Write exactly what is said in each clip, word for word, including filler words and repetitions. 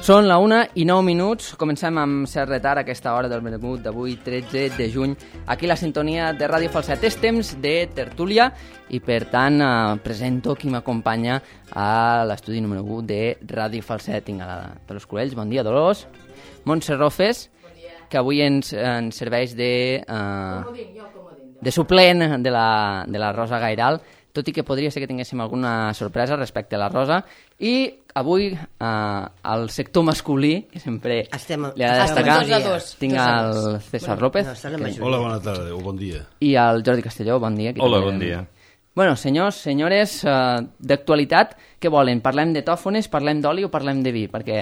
Són la una i nou minuts, comencem amb cert retard a aquesta hora del vermut d'avui, tretze de juny, aquí la sintonia de Ràdio Falset. És temps de tertúlia i per tant eh, presento qui m'acompanya a l'estudi número u de Ràdio Falset. Tinc a la Dolors Corells, bon dia Dolors. Montse Rofes, que avui ens, ens serveix de, eh, de suplent de la, de la Rosa Gairal, tot i que podria ser que tinguéssim alguna sorpresa respecte a la Rosa. I avui eh, al sector masculí, que sempre estem, li ha de destacar, dos, tinc el César bueno, López. No, hola, bona tarda o bon dia. I el Jordi Castelló, bon dia. Hola, bon dia. Bueno, senyors, senyores, eh, d'actualitat, què volen? Parlem de tòfones, parlem d'oli o parlem de vi? Perquè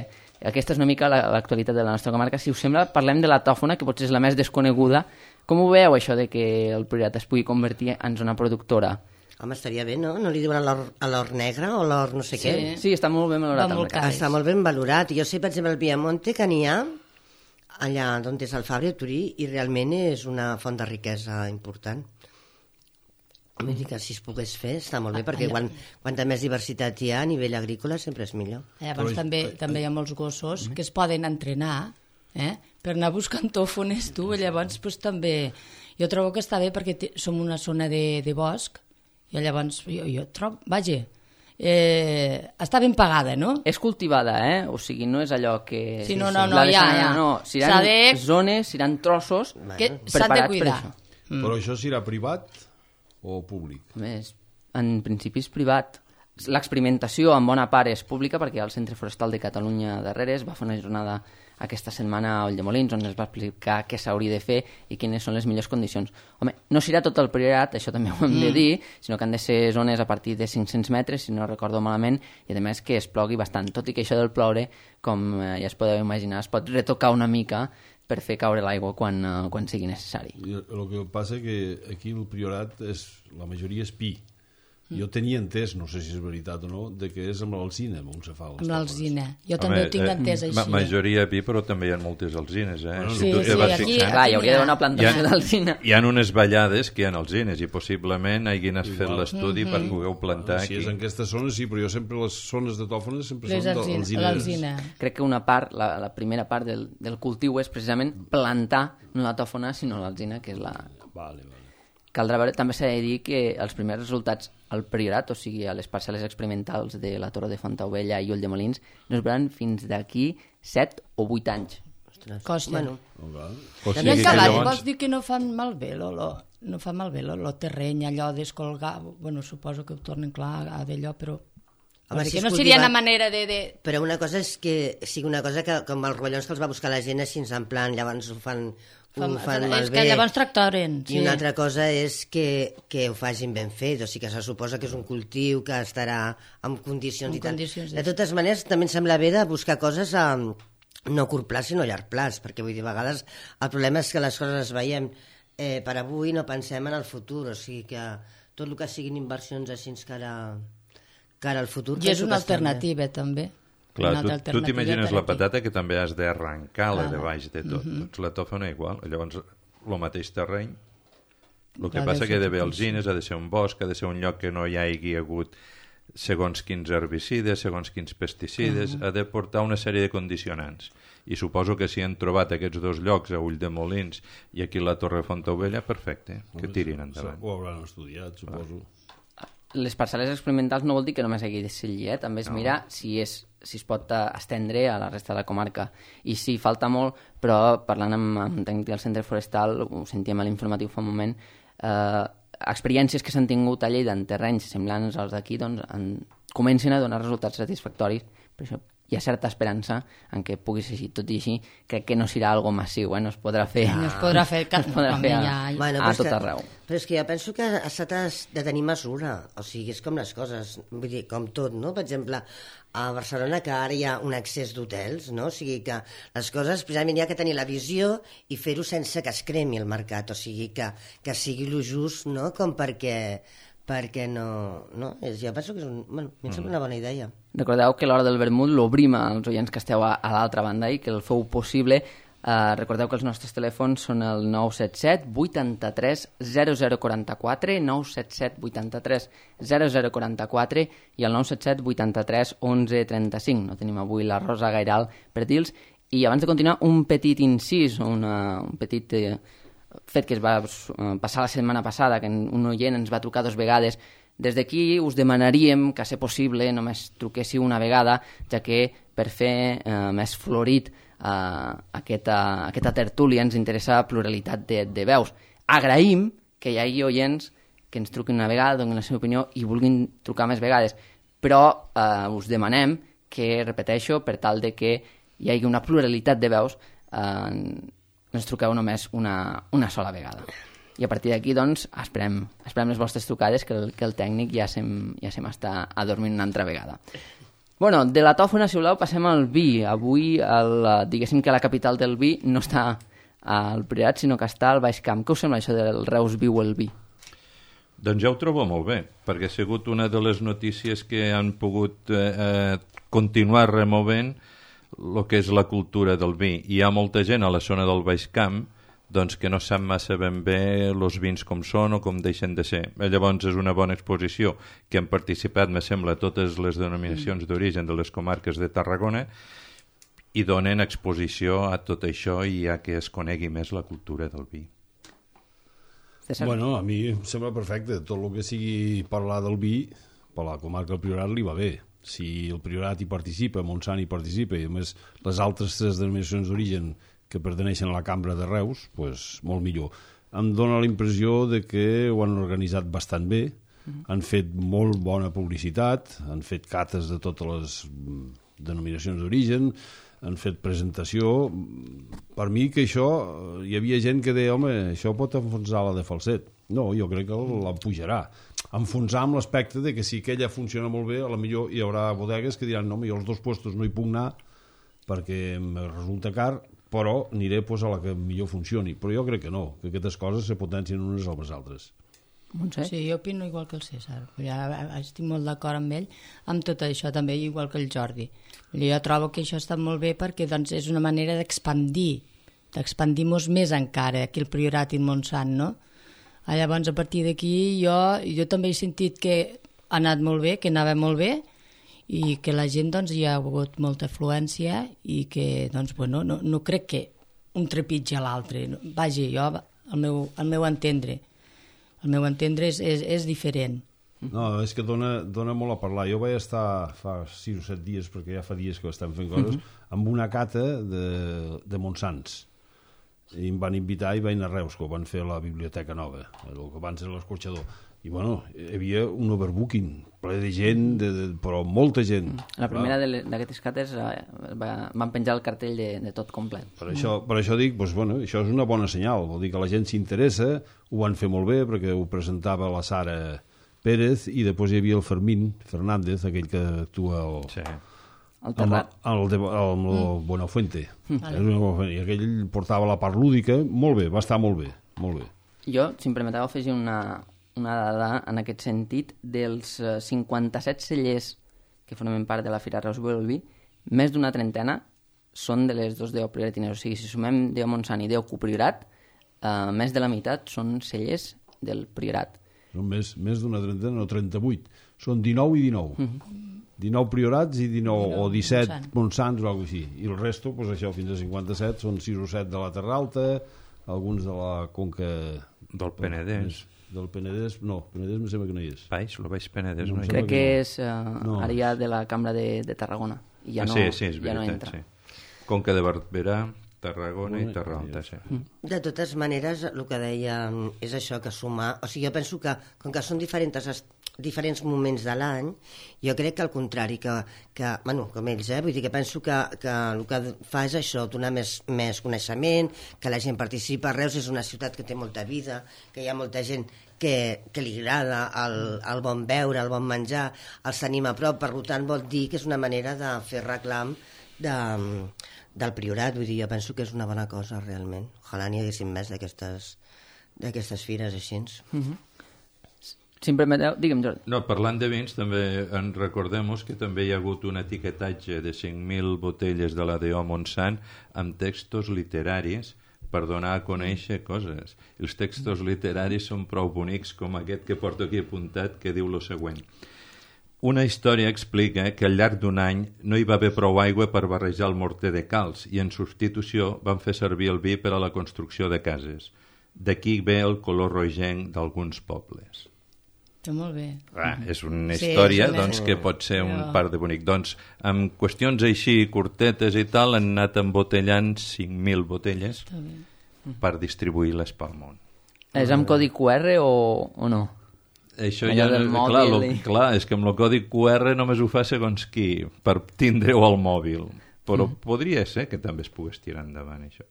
aquesta és una mica l'actualitat de la nostra comarca. Si us sembla, parlem de la tòfona, que potser és la més desconeguda. Com ho veieu, això de que el Priorat es pugui convertir en zona productora? Home, estaria bé, no? No li diuen a l'or negre o l'or no sé sí. què? Sí, està molt ben valorat. Molt està molt ben valorat. Jo sé, per exemple, el Piamonte, que n'hi ha allà on és el Fabri, a Turí, i realment és una font de riquesa important. Vull dir que si es pogués fer està molt bé, perquè quan, quanta més diversitat hi ha a nivell agrícola sempre és millor. Llavors Però... també, també hi ha molts gossos que es poden entrenar eh, per anar buscant tòfones, tu, llavors pues, també... Jo trobo que està bé perquè te, som una zona de, de bosc, i llavors jo, jo trobo, vaja, eh, està ben pagada, no? És cultivada, eh? O sigui, no és allò que... Sí, no, no, no, ja, ja. No, seran de... zones, seran trossos que s'han de cuidar. Mm. Però això serà privat o públic? Més, en principi és privat. L'experimentació en bona part és pública perquè el Centre Forestal de Catalunya darrere es va fer una jornada aquesta setmana a Ulldemolins on es va explicar què s'hauria de fer i quines són les millors condicions. Home, no serà tot el Priorat, això també ho hem de dir, sinó que han de ser zones a partir de cinc-cents metres, si no recordo malament, i a més que es plogui bastant, tot i que això del ploure, com ja es podeu imaginar, es pot retocar una mica per fer caure l'aigua quan, uh, quan sigui necessari. I el que passa que aquí el Priorat és, la majoria és pi. Jo tenia entès, no sé si és veritat o no, de que és amb l'alzina, on se fa les amb l'alzina. Jo Home, també ho tinc entès eh, així. Ma majoria pi, però també hi ha moltes alzines, eh? Bueno, sí, si tu, sí, vas aquí... fixant, Clar, hi hauria d'haver una plantació d'alzina. Hi ha unes vallades que hi ha alzines i possiblement hagin fet l'estudi mm -hmm. per poder plantar si aquí. és en aquestes zones, sí, però jo sempre les zones de tòfones sempre les són d'alzina. Crec que una part, la, la primera part del, del cultiu és precisament plantar no la tòfona, sinó l'alzina, que és la... Vale, vale. Caldrà veure, també s'ha de dir que els primers resultats al Priorat, o sigui, a les parcel·les experimentals de la Torre de Fontaubella i Ulldemolins, no es veuran fins d'aquí set o vuit anys. Costa. Bueno. O I el cavall, vols dir que no fan malbé l'olor? No fa malbé el terreny, allò d'escolgar... Bueno, suposo que ho tornen clar a d'allò, però... Home, si que no seria una manera de, de... Però una cosa és que sigui una cosa que, com els rovellons que els va buscar la gent així en plan, llavors ho fan... Fan, ho fan és malbé. que llavors tractoren. I sí. Una altra cosa és que, que ho facin ben fet, o sigui que se suposa que és un cultiu que estarà en condicions en i tal. Condicions de totes maneres, també em sembla bé de buscar coses a no a curt plaç, sinó a llarg plaç, perquè vull dir, a vegades el problema és que les coses les veiem eh, per avui, no pensem en el futur, o sigui que tot el que siguin inversions així cara, cara al futur... I és una alternativa, també. Clar, tu, tu t'imagines la patata que també has d'arrencar-la de baix de tot. Uh -huh. Doncs la tòfona igual. Llavors, el mateix terreny. El que passa que ha d'haver alzines, ha de ser un bosc, ha de ser un lloc que no hi hagi hagut segons quins herbicides, segons quins pesticides, uh -huh. ha de portar una sèrie de condicionants. I suposo que si han trobat aquests dos llocs, a Ulldemolins i aquí a la Torre de Fontaubella, perfecte, que tirin endavant. Ho hauran estudiat, suposo. Les parcel·les experimentals no vol dir que només hagi de ser allí, eh? També es no. mira si, és, si es pot estendre a la resta de la comarca. I sí, falta molt, però parlant amb, amb tècnic del Centre Forestal, ho sentíem a l'informatiu fa un moment, eh, experiències que s'han tingut a Lleida en terrenys semblants als d'aquí doncs, en, comencen a donar resultats satisfactoris. Per això hi ha certa esperança en què pugui ser així. Tot i així, crec que no serà algo massiu, eh? No es podrà fer, no es podrà fer, no es podrà fer a, ja, ja. Bueno, a tot que, arreu. Però és que jo penso que s'ha de tenir mesura, o sigui, és com les coses, vull dir, com tot, no? Per exemple, a Barcelona, que ara hi ha un excés d'hotels, no? O sigui que les coses, precisament, hi ha que tenir la visió i fer-ho sense que es cremi el mercat, o sigui, que, que sigui lo just, no? Com perquè... perquè no... no? Jo penso que és un, bueno, em sembla una bona idea. Recordeu que a l'hora del vermut l'obrim als oients que esteu a, a l'altra banda i que el feu possible Uh, recordeu que els nostres telèfons són el nou set set vuitanta-tres zero zero quaranta-quatre, nou set set vuitanta-tres zero zero quaranta-quatre i el nou set set vuitanta-tres onze trenta-cinc. No tenim avui la Rosa Gairal per dir-los. I abans de continuar, un petit incís, una, un petit eh, fet que es va eh, passar la setmana passada, que un oient ens va trucar dues vegades. Des d'aquí us demanaríem que, a ser possible, només truquéssiu una vegada, ja que per fer eh, més florit Uh, aquesta, aquesta tertúlia ens interessa pluralitat de, de veus. Agraïm que hi hagi oients que ens truquin una vegada, donin la seva opinió i vulguin trucar més vegades, però uh, us demanem que, repeteixo, per tal de que hi hagi una pluralitat de veus, uh, ens truqueu només una, una sola vegada. I a partir d'aquí, doncs, esperem, esperem les vostres trucades, que el, que el tècnic ja se'm, ja se m'està adormint una altra vegada. Bueno, de la tòfona, si voleu, passem al vi. Avui, el, diguéssim que la capital del vi no està al Priorat, sinó que està al Baix Camp. Què us sembla això del Reus viu el vi? Doncs ja ho trobo molt bé, perquè ha sigut una de les notícies que han pogut eh, continuar removent el que és la cultura del vi. Hi ha molta gent a la zona del Baix Camp doncs que no sap massa ben bé els vins com són o com deixen de ser. Llavors és una bona exposició que han participat, me sembla, totes les denominacions d'origen de les comarques de Tarragona i donen exposició a tot això i a que es conegui més la cultura del vi. Bueno, a mi em sembla perfecte. Tot el que sigui parlar del vi, per la comarca del Priorat li va bé. Si el Priorat hi participa, Montsant hi participa, i a més les altres tres denominacions d'origen que perteneixen a la Cambra de Reus, pues, molt millor. Em dóna la impressió de que ho han organitzat bastant bé, mm. han fet molt bona publicitat, han fet cates de totes les denominacions d'origen, han fet presentació. Per mi que això, hi havia gent que deia, home, això pot enfonsar la de Falset. No, jo crec que l'empujarà. Enfonsar amb l'aspecte de que si aquella funciona molt bé, a la millor hi haurà bodegues que diran, no, jo els dos puestos no hi puc anar perquè em resulta car, però aniré pues, a la que millor funcioni. Però jo crec que no, que aquestes coses se potencien unes a les altres. Montse? Sí, jo opino igual que el César. Ja estic molt d'acord amb ell, amb tot això també, igual que el Jordi. Jo trobo que això està molt bé perquè doncs, és una manera d'expandir, d'expandir-nos més encara, aquí el Priorat i el Montsant, no? Llavors, a partir d'aquí, jo, jo també he sentit que ha anat molt bé, que anava molt bé, i que la gent doncs, hi ha hagut molta afluència i que doncs, bueno, no, no crec que un trepitgi a l'altre. Vaja, jo, el meu, el meu entendre, el meu entendre és, és, és diferent. No, és que dona, dona molt a parlar. Jo vaig estar fa sis o set dies, perquè ja fa dies que estem fent coses, mm-hmm. amb una cata de, de Montsants. I em van invitar i vaig anar a Reus, que ho van fer a la Biblioteca Nova, el que abans era l'escorxador. I bueno, hi havia un overbooking, ple de gent, de, de, però molta gent. La primera d'aquestes cates eh, va, van penjar el cartell de, de tot complet. Per això, per això dic, doncs, bueno, això és una bona senyal, vol dir que la gent s'interessa, ho van fer molt bé, perquè ho presentava la Sara Pérez, i després hi havia el Fermín Fernández, aquell que actua al... Sí. El Terrat. El, el, el, el mm. Buenafuente. Mm. I aquell portava la part lúdica, molt bé, va estar molt bé, molt bé. Jo, si em permeteu, afegir una, una dada en aquest sentit. Dels cinquanta-set cellers que formen part de la Fira Reus Viu el Vi, més d'una trentena són de les dos deu prioratines. O sigui, si sumem deu Montsant i deu Priorat, eh, més de la meitat són cellers del Priorat. Són més, més d'una trentena, no, trenta-vuit. Són dinou i dinou. Mm-hmm. dinou priorats i dinou, dinou o disset Montsant. Montsants o alguna cosa així. I el resto, doncs això, fins a cinquanta-set, són sis o set de la Terra Alta, alguns de la Conca... Del Penedès. Del Penedès, no, Penedès em sembla que no hi és. Baix, el Baix Penedès no, no hi és. Crec que, que és uh, no. ara ja de la Cambra de, de Tarragona. I ja ah, no, sí, sí, és ja veritat, no entra. Sí. Conca de Barberà, Tarragona i Terra Alta, sí. De totes maneres, el que deia és això, que sumar... O sigui, jo penso que, com que són diferents, diferents moments de l'any, jo crec que al contrari, que, que bueno, com ells, eh? Vull dir que penso que, que el que fa és això, donar més, més coneixement, que la gent participa. Reus és una ciutat que té molta vida, que hi ha molta gent que, que li agrada el, el bon beure, el bon menjar, els tenim a prop, per tant vol dir que és una manera de fer reclam de... del Priorat, vull dir, jo penso que és una bona cosa realment. Ojalà n'hi haguessin més d'aquestes d'aquestes fires així. Mm-hmm. Sempre me... Digue'm, Jordi. No, parlant de vins, també en recordem que també hi ha hagut un etiquetatge de cinc mil botelles de la D O Montsant amb textos literaris per donar a conèixer coses. Els textos literaris són prou bonics, com aquest que porto aquí apuntat, que diu lo següent. Una història explica que al llarg d'un any no hi va haver prou aigua per barrejar el morter de calç i en substitució van fer servir el vi per a la construcció de cases. D'aquí ve el color rogenc d'alguns pobles. Està molt bé. Ah, és una història sí, és una... doncs, que pot ser un Però... part de bonic. Doncs, amb qüestions així curtetes i tal, han anat embotellant cinc mil botelles per distribuir-les pel món. És amb codi Q R o, o no? Això allò ja, del clar, mòbil lo, i... clar, és que amb el codi Q R només ho fa segons qui, per tindre-ho al mòbil. Però mm. podria ser que també es pogués tirar endavant, això.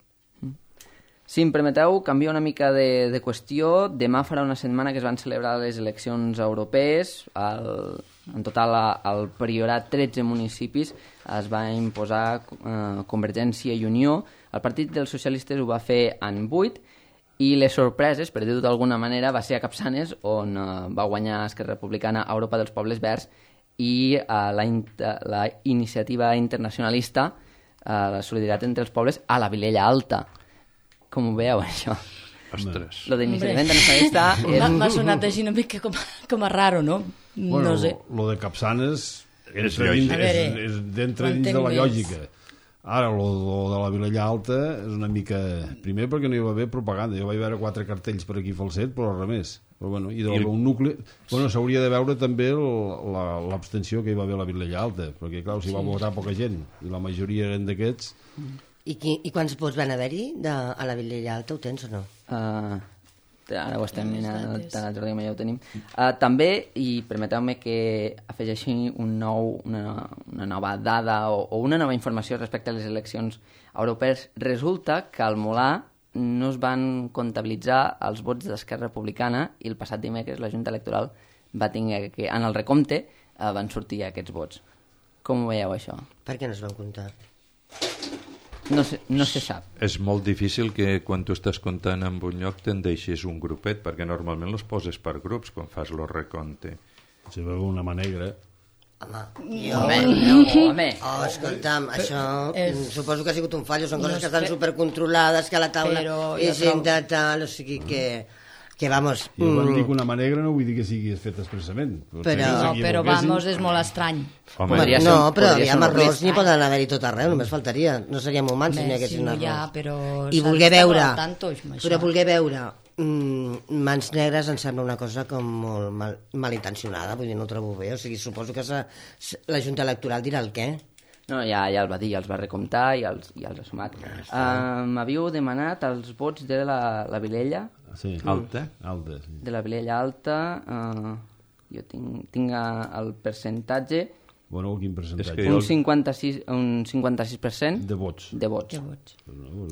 Si em permeteu, canvio una mica de, de qüestió. Demà farà una setmana que es van celebrar les eleccions europees. El, en total, al Priorat, tretze municipis es va imposar eh, Convergència i Unió. El Partit dels Socialistes ho va fer en vuit i les sorpreses, per dir-ho d'alguna manera, va ser a Capçanes, on eh, va guanyar Esquerra Republicana a Europa dels Pobles Verds i eh, la, la iniciativa internacionalista, eh, la solidaritat entre els pobles, a la Vilella Alta. Com ho veieu, això? Ostres. Lo d'iniciativa internacionalista... És... M'ha sonat així una mica com, com a raro, no? Bueno, no sé. Lo de Capçanes és, lògic. dins, és, és d'entre dins de la més. lògica. Ara, lo, lo de la Vilella Alta és una mica... Primer perquè no hi va haver propaganda. Jo vaig veure quatre cartells per aquí falset, però res més. Però, bueno, i de I... un nucli... Bueno, s'hauria de veure també l'abstenció que hi va haver a la Vilella Alta, perquè, clar, s'hi va votar poca gent, i la majoria eren d'aquests... I, qui, I quants vots van haver-hi a la Vilella Alta? Ho tens o no? Uh, ara ho estem mirant, tant el Jordi com ja ho tenim. Uh, també, i permeteu-me que afegeixi un nou, una, una nova dada o, o una nova informació respecte a les eleccions europees. Resulta que al Molar no es van comptabilitzar els vots d'Esquerra Republicana i el passat dimecres la Junta Electoral va tenir que, en el recompte, uh, van sortir aquests vots. Com ho veieu, això? Per què no es van comptar? No se, no se sap. És molt difícil que quan tu estàs comptant en un lloc te'n deixis un grupet, perquè normalment los poses per grups quan fas el recompte. Si veu una mà negra... Home, jo... Home, no, home. Oh, escolta'm, això... És... Suposo que ha sigut un fallo, són coses No que estan sé. supercontrolades, que a la taula Però és jo gent de tal, o sigui que... Que vamos... Jo quan mm, dic una mà negra no vull dir que sigui fet expressament. Però- No, però vamos, és molt estrany. Home, Podria ser no, un- però podria hi ser ha un errors, risc. n'hi poden haver-hi tot arreu, només faltaria. No seríem humans si n'hi Home, haguessin si no hi ha, errors. però I s'ha voler d'estar veure, molt al tanto, amb això. però voler veure mm, mans negres em sembla una cosa com molt mal, malintencionada, vull dir, no ho trobo bé. O sigui, suposo que sa, la Junta Electoral dirà el què. No, ja, ja el va dir, ja els va recomptar i els, ja els ha sumat. Uh, M'havíeu demanat els vots de la, la Vilella, Sí. Alta? Alta, sí. de la Vilella Alta. Uh, jo tinc, tinc uh, el percentatge, Bueno, quin percentatge? És que un jo- cinquanta-sis, un cinquanta-sis per cent De vots. de vots Que vots.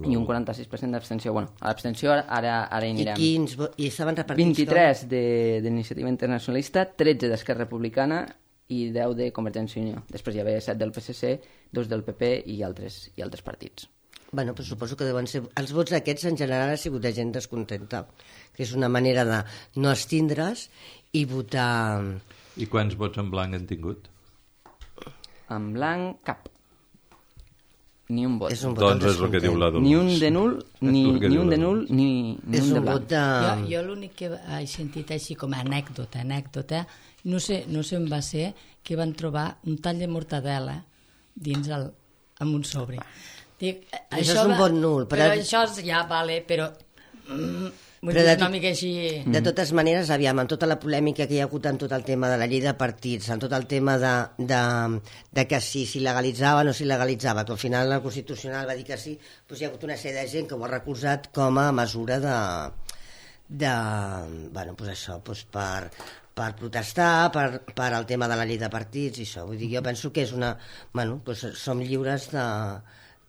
i un quaranta-sis per cent d'abstenció. Bueno, a l'abstenció ara, ara, ara hi I anirem. quins... vo- I estaven repartits vint-i-tres de- d'Iniciativa Internacionalista, tretze d'Esquerra Republicana i deu de Convergència i Unió. Després hi havia set del P S C, dos del P P i altres, i altres partits. Bueno, però suposo que deuen ser... Els vots aquests en general ha sigut de gent descontenta, que és una manera de no abstindre's i votar... I quants vots en blanc han tingut? En blanc, cap. Ni un vot. És un vot Doncs és el que diu la Dolors. Ni un de nul, ni, És el que ni diu un la de nul, Dolors. ni, ni És un de un vot blanc. de... Jo, jo l'únic que he sentit així com a anècdota, anècdota, no sé, no sé on va ser, que van trobar un tall de mortadela dins el, amb un sobre. Dic, Això és un vot nul, però- Però això és, ja, vale, però... Mm, vull Però dir, de una tot- mica així... De totes maneres, aviam, amb tota la polèmica que hi ha hagut amb tot el tema de la llei de partits, amb tot el tema de, de, de que si s'hi legalitzava o no s'hi legalitzava, que al final la Constitucional va dir que sí, doncs hi ha hagut una sèrie de gent que ho ha recolzat com a mesura de... de bueno, doncs això, doncs per, per protestar, per, per el tema de la llei de partits i això. Vull dir, jo penso que és una... Bueno, doncs som lliures de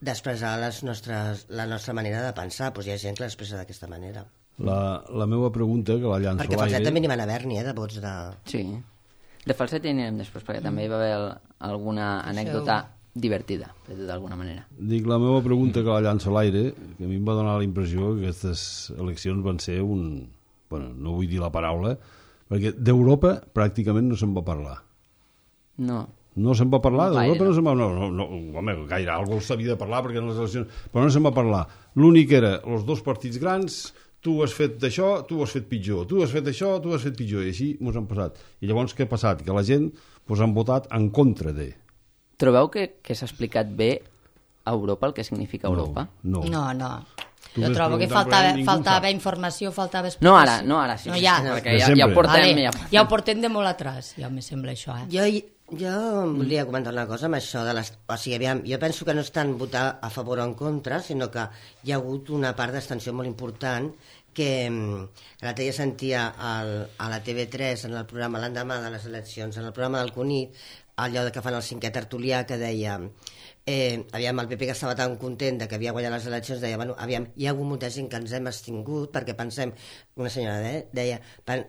d'expressar les nostres, la nostra manera de pensar, doncs hi ha gent que l'expressa d'aquesta manera. La, la meva pregunta, que la llanço Perquè a falset l'aire... també n'hi van haver-n'hi, eh, de vots de... Sí. De falset hi anirem després, perquè també hi va haver el- alguna anècdota divertida, per dir d'alguna manera. Dic, la meva pregunta, que la llanço a l'aire, que a mi em va donar la impressió que aquestes eleccions van ser un... Bueno, no vull dir la paraula, Perquè d'Europa pràcticament no se'n va parlar. No. No se'n va parlar, No d'Europa gaire. no se'n va... No, no, no, home, gaire, algú s'havia de parlar perquè en les eleccions... Però no se'n va parlar. L'únic era els dos partits grans, tu has fet d'això, tu has fet pitjor, tu has fet això, tu has fet pitjor, i així mos han passat. I llavors què ha passat? Que la gent pues, han votat en contra de... Trobeu que, que s'ha explicat bé a Europa el que significa Europa? No, no. No, no. Tu Jo ves trobo que preguntant, faltava, però ningú faltava sap. informació, faltava explicació. No ara, no ara, sí. No, sí, ja. sí, perquè De ja, ja ho sempre. portem. Vale, Ja, ja ho portem de molt atrás, ja me sembla això, eh? Jo, jo volia comentar una cosa amb això de les... O sigui, aviam, jo penso que no és tant votar a favor o en contra, sinó que hi ha hagut una part d'extensió molt important que l'altre dia sentia al, a la T V tres en el programa l'endemà de les eleccions, en el programa del Cunit, allò que fan el cinquè tertulià que deia eh, aviam, el P P que estava tan content de que havia guanyat les eleccions deia, bueno, aviam, hi ha hagut molta gent que ens hem extingut perquè pensem, una senyora de, deia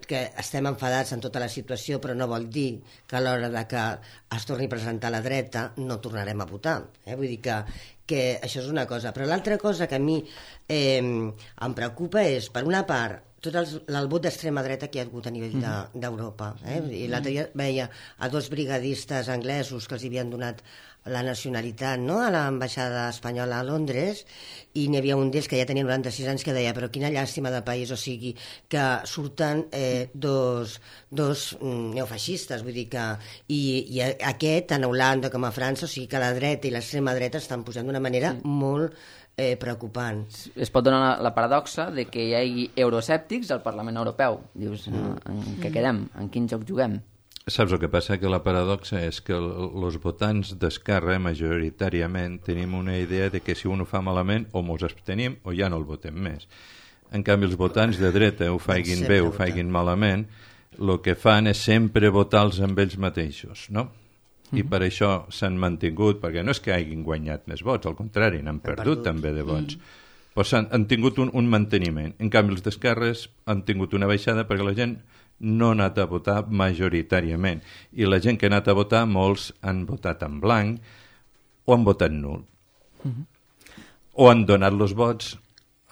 que estem enfadats en tota la situació però no vol dir que a l'hora de que es torni a presentar la dreta no tornarem a votar, eh? Vull dir que, que això és una cosa, però l'altra cosa que a mi eh, em preocupa és, per una part, tot el, el vot d'extrema dreta que hi ha hagut a nivell d'Europa. De, eh? I l'altre dia veia a dos brigadistes anglesos que els havien donat la nacionalitat, no?, a l'ambaixada espanyola a Londres, i n'hi havia un d'ells que ja tenia noranta-sis anys que deia però quina llàstima de país, o sigui, que surten eh, dos, dos mm, neofeixistes, vull dir que... I, i aquest, tant a Holanda com a França, o sigui que la dreta i l'extrema dreta estan pujant d'una manera sí. molt eh, preocupant. Es pot donar la, la paradoxa de que hi hagi euroescèptics al Parlament Europeu. Dius, mm. en què quedem? En quin joc juguem? Saps el que passa? Que la paradoxa és que els votants d'Esquerra majoritàriament tenim una idea de que si un ho fa malament o mos abstenim o ja no el votem més. En canvi, els votants de dreta ho faiguin bé o ho faiguin malament, el que fan és sempre votar-los amb ells mateixos, no? I per això s'han mantingut, perquè no és que hagin guanyat més vots, al contrari, n'han perdut, perdut també de vots. Mm. Però han, han tingut un, un manteniment. En canvi, els d'esquerres han tingut una baixada perquè la gent no ha anat a votar majoritàriament. I la gent que ha anat a votar, molts han votat en blanc o han votat nul. Mm-hmm. O han donat els vots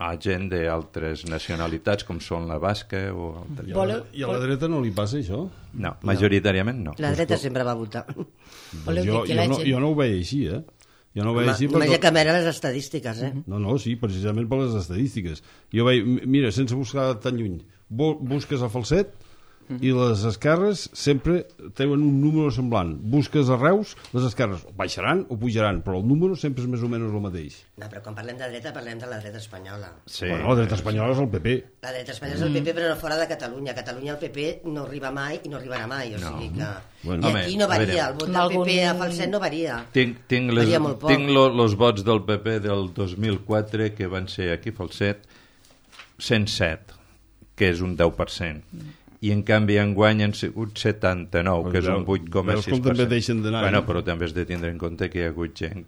a gent d'altres nacionalitats, com són la basca o... I a la, I a la dreta no li passa això? No, majoritàriament no. La dreta sempre va votar. Doncs jo, jo, no, jo no ho veia així, eh? Jo no ho veia així perquè... Només perquè... que veure les estadístiques, eh? No, no, sí, precisament per les estadístiques. Jo veia, mira, sense buscar tan lluny, busques a Falset i les esquerres sempre tenen un número semblant. Busques a Reus, les esquerres baixaran o pujaran, però el número sempre és més o menys el mateix. No, però quan parlem de dreta, parlem de la dreta espanyola. Sí. Bueno, la dreta espanyola és el P P. La dreta espanyola és el P P, però no fora de Catalunya. A Catalunya el P P no arriba mai i no arribarà mai, o No. sigui que... Bueno. I aquí no varia, el vot del Algun- P P a Falset no varia. Tinc, tinc, les, Varia molt poc. tinc lo, los vots del P P del dos mil quatre, que van ser aquí a Falset, cent set, que és un deu per cent. I en canvi enguany han sigut setanta-nou, que és un vuit coma sis per cent. Veus com també deixen d'anar. Bueno, però també has de tindre en compte que hi ha hagut gent...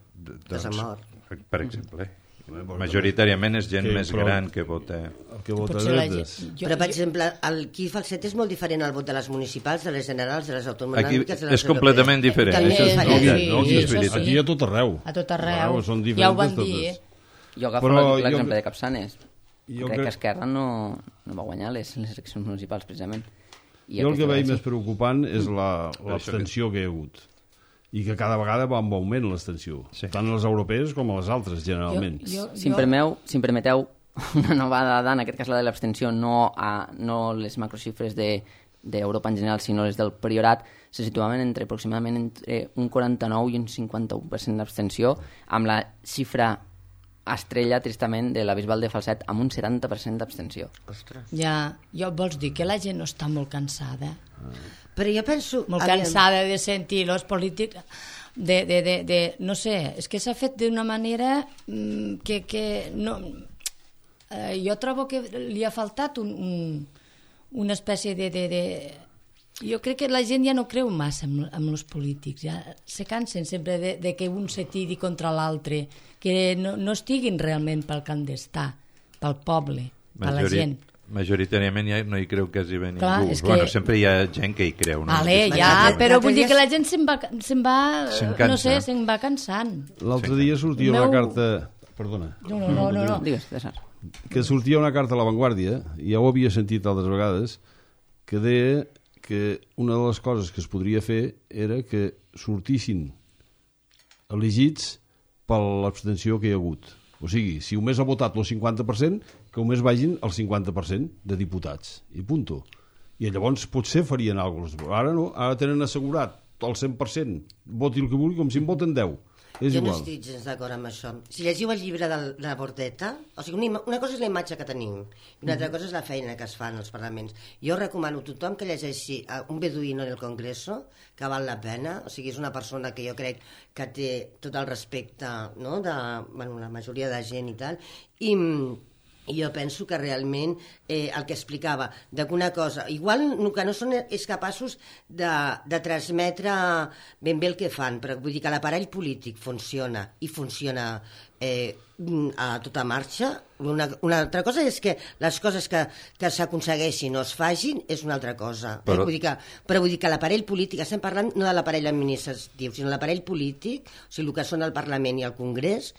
Que s'ha mort. Per exemple, majoritàriament és gent Que, més però- gran que vota... El que vota Potser la dretes. gent- Però, per exemple, el aquí a Falset és molt diferent al vot de les municipals, de les generals, de les autonòmiques... Aquí de les és completament europees. diferent. També Això és diferent. veritat, sí, no? sí, És això veritat. sí. Aquí a tot arreu. A tot arreu. Arreu, són Ja ho van diferents dir, totes. eh? Jo agafo Però l'exemple jo- de Capçanes. Jo Crec crec- que Esquerra no, no va guanyar les, les eleccions municipals, precisament. I Jo el que aquesta veig vegada més sí. preocupant és la- l'abstenció que hi ha hagut. I que cada vegada va en augment l'abstenció. Sí. Tant a les europees com a les altres, generalment. Jo, Si em, permeu, si em permeteu una nova dada, en aquest cas la de l'abstenció, no, a, no les macroxifres de d'Europa en general, sinó les del Priorat, se situaven entre aproximadament entre un quaranta-nou i un cinquanta-u per cent d'abstenció, amb la xifra estrella, tristament, de la Bisbal de Falset, amb un setanta per cent d'abstenció. Ostres. Ja, jo vols dir que la gent no està molt cansada? Però jo penso... Molt aviam, cansada de sentir els polítics... De, de, de, de, no sé, és que s'ha fet d'una manera mm, que, que no... Eh, jo trobo que li ha faltat un, un, una espècie de, de, de... Jo crec que la gent ja no creu massa amb, amb els polítics, ja se cansen sempre de, de que un se tiri contra l'altre, que no, no estiguin realment pel que han d'estar, pel poble, per la Majori- gent. Majoritàriament ja no hi creu quasi bé Clar, ningú. és que- Bueno, sempre hi ha gent que hi creu. No? Vale, Aquesta- ja, L'altre- però l'altre vull dir dia que la gent se'n va, se'n va Se'n no cansa. sé, se'n va cansant. L'altre dia sortia Meu- una carta... Perdona. No, no, no, no. no. Digues, César. Que sortia una carta a La Vanguardia, i ja ho havia sentit altres vegades, que deia que una de les coses que es podria fer era que sortissin elegits per l'abstenció que hi ha hagut. O sigui, si només ha votat el cinquanta per cent, que només vagin el cinquanta per cent de diputats. I punto. I llavors potser farien alguna cosa. Ara no, ara tenen assegurat el cent per cent. Voti el que vulgui, com si en voten deu. És jo igual. no estic gens d'acord amb això. Si llegiu el llibre de la Bordeta, o sigui, una, una cosa és la imatge que tenim i una altra cosa és la feina que es fa en els parlaments. Jo recomano a tothom que llegeixi un beduïno en el Congreso, que val la pena, o sigui, és una persona que jo crec que té tot el respecte, no?, de, bueno, la majoria de gent i tal, i... I jo penso que realment eh, el que explicava, de que una cosa, igual el que no són és capaços de, de transmetre ben bé el que fan, però vull dir que l'aparell polític funciona i funciona eh, a tota marxa. Una, una altra cosa és que les coses que, que s'aconsegueixin o es fagin és una altra cosa. Però, eh? vull dir que, però vull dir que l'aparell polític, estem parlant no de l'aparell administratiu, sinó de l'aparell polític, o sigui, el que són el Parlament i el Congrés,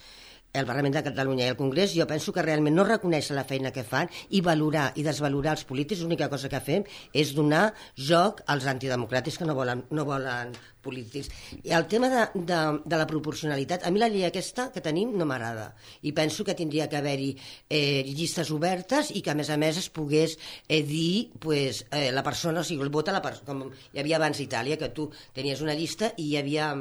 el Parlament de Catalunya i el Congrés, jo penso que realment no reconèixer la feina que fan i valorar i desvalorar els polítics, l'única cosa que fem és donar joc als antidemocràtics que no volen, no volen polítics. I el tema de, de, de la proporcionalitat, a mi la llei aquesta que tenim no m'agrada i penso que tindria que haver-hi eh, llistes obertes i que a més a més es pogués eh, dir pues, eh, la persona, o sigui, el vot a la persona, com hi havia abans a Itàlia, que tu tenies una llista i hi havia...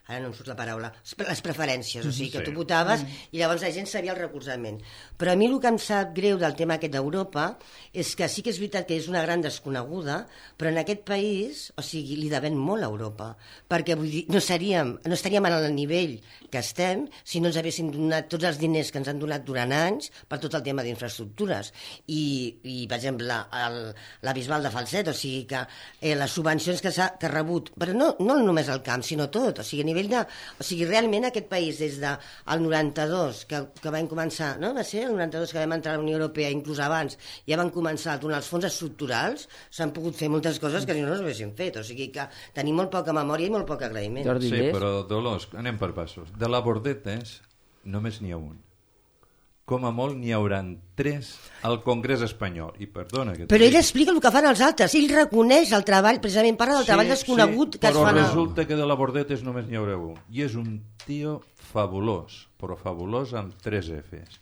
ara no em surt la paraula, les preferències, o sigui, que tu votaves i llavors la gent sabia el recolzament. Però a mi el que em sap greu del tema aquest d'Europa és que sí que és veritat que és una gran desconeguda, però en aquest país, o sigui, li devem molt a Europa, perquè vull dir, no, seríem, no estaríem en el nivell que estem si no ens haguessin donat tots els diners que ens han donat durant anys per tot el tema d'infraestructures. I, i per exemple, el, la Bisbal de Falset, o sigui que eh, les subvencions que s'ha que ha rebut, però no, no només el camp, sinó tot, o sigui, a nivell de... O sigui, realment aquest país des del noranta-dos, que, que vam començar, no? Va ser el noranta-dos que vam entrar a la Unió Europea, inclús abans, ja van començar a donar els fons estructurals, s'han pogut fer moltes coses que si no no s'haguessin fet, o sigui que tenim molt poca memòria i molt poc agraïment. Jordi, sí, però Dolors, anem per passos. De la Bordetes només n'hi ha un. Com a molt n'hi hauran tres al Congrés espanyol. I perdona que però ell explica el que fan els altres, ell reconeix el treball, precisament parla del sí, treball desconegut sí, que es fa. Però resulta que de la Bordetes només n'hi haurà un. I és un tio fabulós, però fabulós amb tres Fs.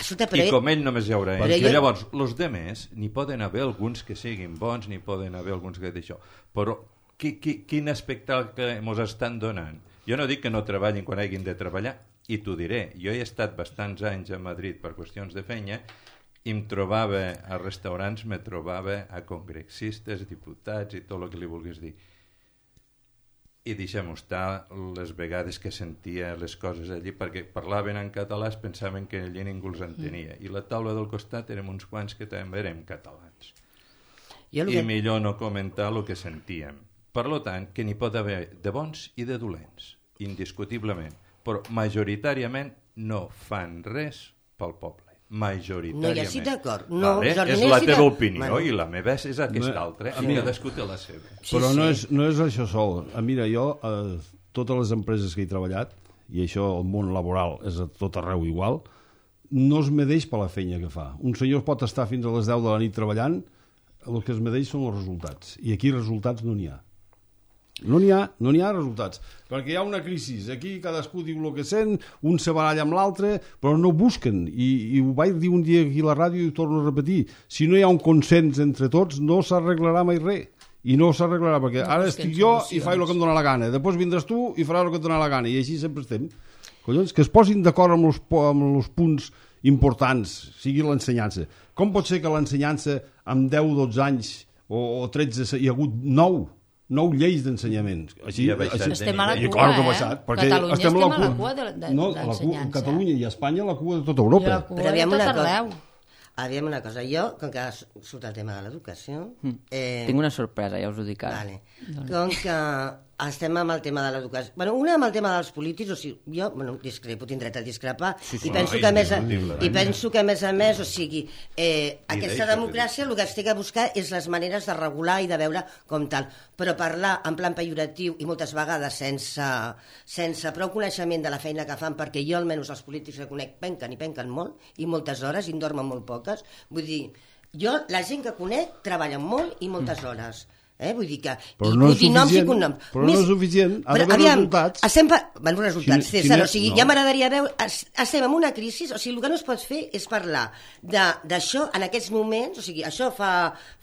Escolta, I ell... com ell només hi haurà ell. Ell... Llavors, els demés, n'hi poden haver alguns que siguin bons, n'hi poden haver alguns que d'això. Però qui, qui, quin espectacle ens estan donant? Jo no dic que no treballin quan hagin de treballar, i t'ho diré, jo he estat bastants anys a Madrid per qüestions de feina i em trobava a restaurants, me trobava a congressistes, diputats i tot el que li vulguis dir. I deixem-ho estar les vegades que sentia les coses allí, perquè parlaven en català, es pensaven que allí ningú els entenia. I la taula del costat érem uns quants que també érem catalans. I que... millor no comentar el que sentíem. Per tant, que n'hi pot haver de bons i de dolents, indiscutiblement. Però majoritàriament no fan res pel poble. Majoritàriament. No hi estic d'acord. No, vale? Jordi, és no la estic teva de... opinió bueno. I la meva és aquesta no, altra. I mi... cadascú té la seva. Sí, però sí. No, és, no és això sol. Mira, jo, eh, totes les empreses que he treballat, i això el món laboral és a tot arreu igual, no es medeix per la feina que fa. Un senyor pot estar fins a les deu de la nit treballant, el que es medeix són els resultats. I aquí resultats no n'hi ha. No n'hi ha, no n'hi ha resultats, perquè hi ha una crisi, aquí cadascú diu el que sent, un se baralla amb l'altre, però no busquen, i, i ho vaig dir un dia aquí a la ràdio i ho torno a repetir, si no hi ha un consens entre tots no s'arreglarà mai res, i no s'arreglarà, perquè no, ara estic jo solucions. I faig el que em dóna la gana, després vindràs tu i faràs el que et dóna la gana, i així sempre estem. Collons, que es posin d'acord amb els, amb els punts importants, sigui l'ensenyança. Com pot ser que l'ensenyança amb deu o dotze anys o, o tretze hi ha hagut nou nou lleis d'ensenyament. Així, ja així, estem a la cua, claro que ha eh? baixat, Catalunya estem, estem a la cua de, de, no, d'ensenyança. Catalunya i Espanya a la cua de tota Europa. Però aviam una cosa. Aviam una cosa. Jo, com que surt el tema de l'educació... Eh... Tinc una sorpresa, ja us ho dic ara. Vale. Com que estem amb el tema de l'educació... Bueno, una amb el tema dels polítics, o sigui, jo, bueno, discrepo, tinc dret a discrepar, sí, sí, i, penso no, que a més a, i penso que a més a més, o sigui, eh, aquesta democràcia el que es té que buscar és les maneres de regular i de veure com tal, però parlar en plan pejoratiu i moltes vegades sense, sense prou coneixement de la feina que fan, perquè jo almenys els polítics que conec penquen i penquen molt, i moltes hores, i en dormen molt poques, vull dir, Jo, la gent que conec, treballa molt i moltes hores. Eh? Vull dir que... Però no és suficient, però no és suficient, ha d'haver resultats. Estem... Bueno, resultats, Quin, César, quin, o sigui, no. ja m'agradaria veure... Estem en una crisi, o sigui, el que no es pot fer és parlar d'això en aquests moments, o sigui, això fa,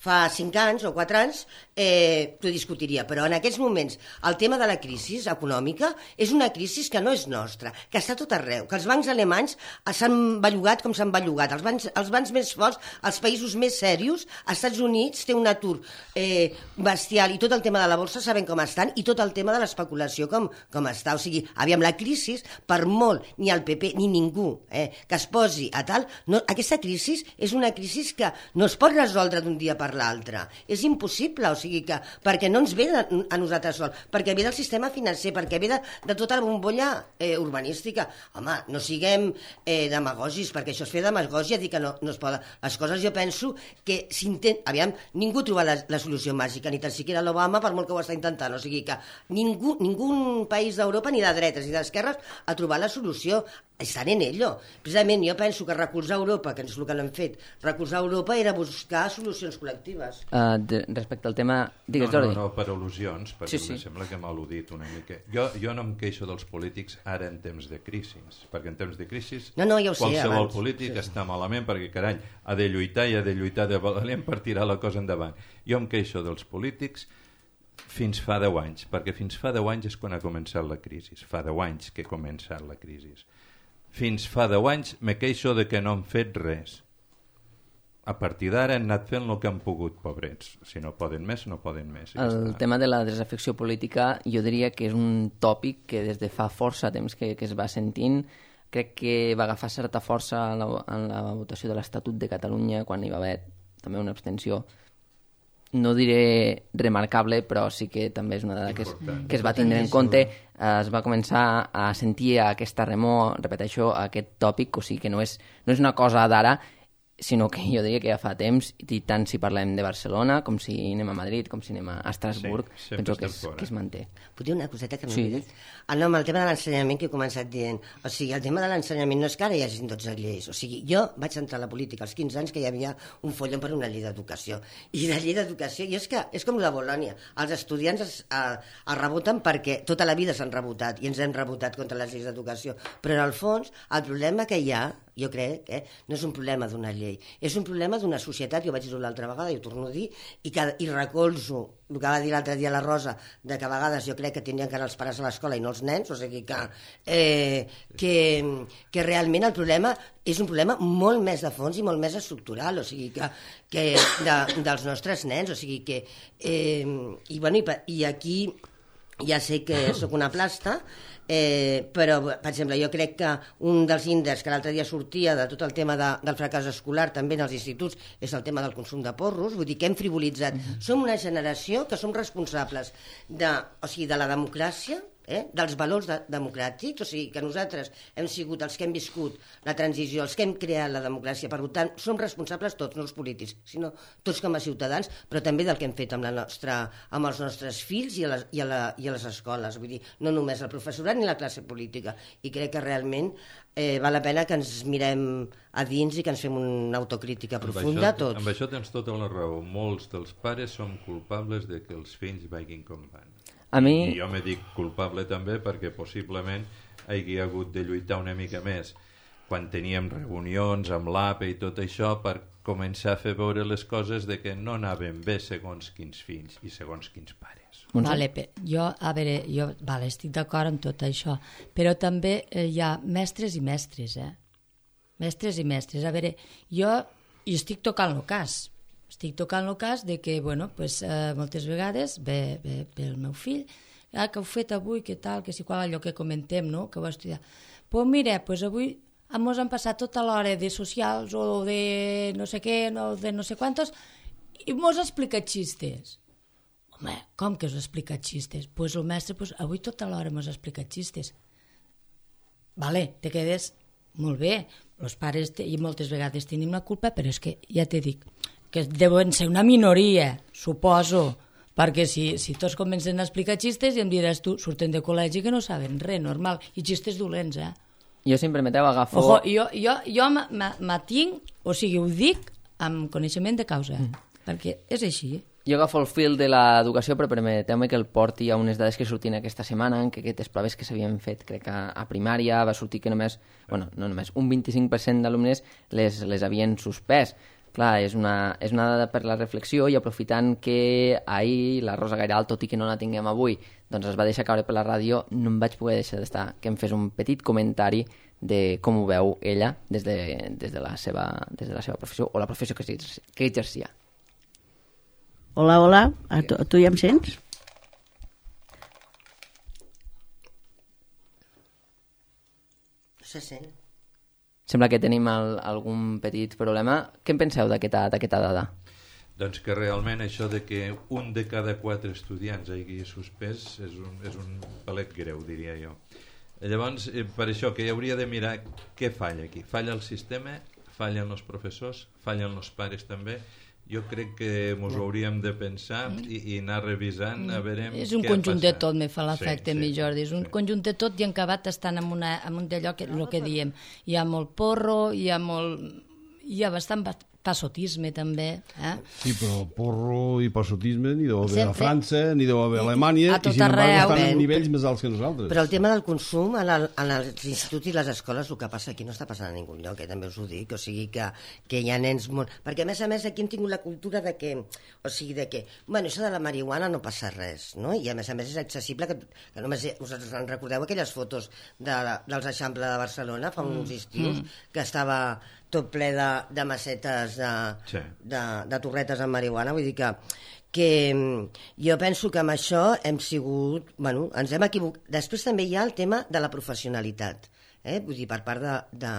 fa cinc anys o quatre anys, eh, t'ho discutiria, però en aquests moments el tema de la crisi econòmica és una crisi que no és nostra, que està tot arreu, que els bancs alemanys s'han bellugat com s'han bellugat, els bancs, els bancs més forts, els països més serios, als Estats Units té un atur eh, bestial, i tot el tema de la borsa sabem com estan, i tot el tema de l'especulació com, com està. O sigui, aviam, la crisi, per molt, ni el P P ni ningú eh, que es posi a tal, no, aquesta crisi és una crisi que no es pot resoldre d'un dia per l'altre. És impossible, o sigui que, perquè no ens ve de, a nosaltres sol, perquè ve del sistema financer, perquè ve de, de tota la bombolla eh, urbanística. Home, no siguem eh, demagògics, perquè això és fer demagògia, dir que no, no es poden. Les coses jo penso que s'intent... Aviam, ningú troba la, la solució màgica, ni tan siquiera l'Obama, per molt que ho està intentant. O sigui que ningú, ningú país d'Europa, ni de dretes ni d'esquerres, ha trobat la solució. Estan en ello. Precisament jo penso que recolzar Europa, que és el que l'hem fet, recolzar Europa era buscar solucions col·lectives. Uh, de, respecte al tema... Digues, no, Jordi. no, no, per al·lusions, perquè sí, sí. em sembla que m'ha al·ludit una mica. Jo, jo no em queixo dels polítics ara en temps de crisi, perquè en temps de crisi no, no, ja ho sé, qualsevol abans. polític sí. està malament perquè, carai, ha de lluitar i ha de lluitar de valent per tirar la cosa endavant. Jo em queixo dels polítics fins fa deu anys, perquè fins fa deu anys és quan ha començat la crisi. Fa deu anys que ha començat la crisi. Fins fa deu anys me queixo de que no han fet res. A partir d'ara han anat fent el que han pogut, pobrets. Si no poden més, no poden més. El està. tema de la desafecció política jo diria que és un tòpic que des de fa força temps que, que es va sentint. Crec que va agafar certa força en la, en la votació de l'Estatut de Catalunya, quan hi va haver també una abstenció, no diré remarcable, però sí que també és una dada que es, que es va tindre en compte. Es va començar a sentir aquesta remor, repeteixo, aquest tòpic, o sigui que no és, no és una cosa d'ara, sinó que jo diria que ja fa temps, i tant si parlem de Barcelona, com si anem a Madrid, com si anem a Estrasburg, sí, penso que es, que es manté. Puc dir una coseta que no sí. he dit? Ah, no, amb el tema de l'ensenyament que he començat dient. O sigui, el tema de l'ensenyament no és que ara hi hagi dotze lleis. O sigui, jo vaig entrar a la política als quinze anys que hi havia un follon per una llei d'educació. I la llei d'educació, i és que és com la Bolònia. Els estudiants es, eh, es reboten perquè tota la vida s'han rebotat i ens hem rebotat contra les lleis d'educació. Però en el fons, el problema que hi ha, jo crec, eh, no és un problema d'una llei, és un problema d'una societat, jo vaig dir-ho l'altra vegada i ho torno a dir, i, que, i recolzo el que va dir l'altre dia la Rosa, de que a vegades jo crec que tindrien que anar els pares a l'escola i no els nens, o sigui que, eh, que, que realment el problema és un problema molt més de fons i molt més estructural, o sigui que, que de, dels nostres nens, o sigui que... Eh, i, bueno, i, i aquí ja sé que sóc una plasta, Eh, però, per exemple, jo crec que un dels índexs que l'altre dia sortia de tot el tema de, del fracàs escolar també en els instituts és el tema del consum de porros, vull dir que hem frivolitzat. Mm-hmm. Som una generació que som responsables de, o sigui, de la democràcia, eh, dels valors de, democràtics, o sigui que nosaltres hem sigut els que hem viscut la transició, els que hem creat la democràcia, per tant, som responsables tots, no els polítics, sinó tots com a ciutadans, però també del que hem fet amb, la nostra, amb els nostres fills i a, les, i, a la, i a les escoles, vull dir, no només el professorat ni la classe política, i crec que realment eh, val la pena que ens mirem a dins i que ens fem una autocrítica profunda això, tots. Amb això tens tota la raó, molts dels pares som culpables de que els fills vagin com van. A mi... I jo me dic culpable també perquè possiblement hi hagi hagut de lluitar una mica més quan teníem reunions amb l'A P E i tot això per començar a fer veure les coses de que no anaven bé segons quins fills i segons quins pares. Vale, jo, a veure, jo vale, estic d'acord amb tot això, però també eh, hi ha mestres i mestres, eh? Mestres i mestres. A veure, jo hi estic tocant el cas, estic tocant el cas de que, bueno, pues, eh, moltes vegades ve, ve, ve el meu fill, ah, que heu fet avui, que tal, que si qual, allò que comentem, no?, que ho estudiar. Pues mira, pues avui mos han passat tota l'hora de socials o de no sé què, no, de no sé quantos, i mos ha explicat xistes. Home, com que us ha explicat xistes? Pues el mestre, pues, avui tota l'hora mos ha explicat xistes. Vale, te quedes molt bé, els pares te, i moltes vegades tenim la culpa, però és que ja te dic que deuen ser una minoria, suposo, perquè si, si tots comencen a explicar xistes i em diràs tu, surten de col·legi que no saben res, normal, i xistes dolents, eh? Jo, si em permeteu, agafo... Ojo, jo, jo, jo m'atinc, o sigui, ho dic amb coneixement de causa, mm. perquè és així. Jo agafo el fil de l'educació, però permeteu-me que el porti a unes dades que sortien aquesta setmana, en què aquestes proves que s'havien fet, crec que a primària va sortir que només, bueno, no només, un vint-i-cinc per cent d'alumnes les, les havien suspès. Clar, és una, és una dada per la reflexió, i aprofitant que ahir la Rosa Gairal, tot i que no la tinguem avui, doncs es va deixar caure per la ràdio, no em vaig poder deixar d'estar que em fes un petit comentari de com ho veu ella des de, des de, la, seva, des de la seva professió, o la professió que, que exercia. Hola, hola, a tu, a tu ja em sents? Se sent. Sembla que tenim el, algun petit problema. Què en penseu d'aquesta dada? Doncs que realment això de que un de cada quatre estudiants hagi suspès és un, és un palet greu, diria jo. Llavors, per això que hi hauria de mirar què falla aquí. Falla el sistema, fallen els professors, fallen els pares també. Jo crec que ens ho hauríem de pensar i, i anar revisant a veure què ha passat. És un conjunt de tot, me fa l'efecte, sí, mi sí, Jordi. És un sí. conjunt de tot i en acabat estan en, una, en un d'allò que, el que diem. Hi ha molt porro, hi ha molt... Hi ha bastant passotisme, també. Eh? Sí, però porro i passotisme ni deu haver Sempre. a França, ni deu haver a Alemanya, A tot i sin embargo arreu. estan en nivells més alts que nosaltres. Però el tema del consum en, el, en els instituts i les escoles, el que passa aquí no està passant a ningú lloc, eh? També us ho dic, o sigui que, que hi ha nens molt... Perquè a més a més aquí hem tingut la cultura de que, o sigui, de que, bueno, això de la marihuana no passa res, no? I a més a més és accessible, que, que només us en recordeu aquelles fotos de, dels Eixample de Barcelona fa uns estius, mm. que estava tot ple de, de macetes de, sí. de, de torretes amb marihuana, vull dir que, que jo penso que amb això hem sigut, bueno, ens hem equivocat. Després també hi ha el tema de la professionalitat, eh? Vull dir, per part de, de,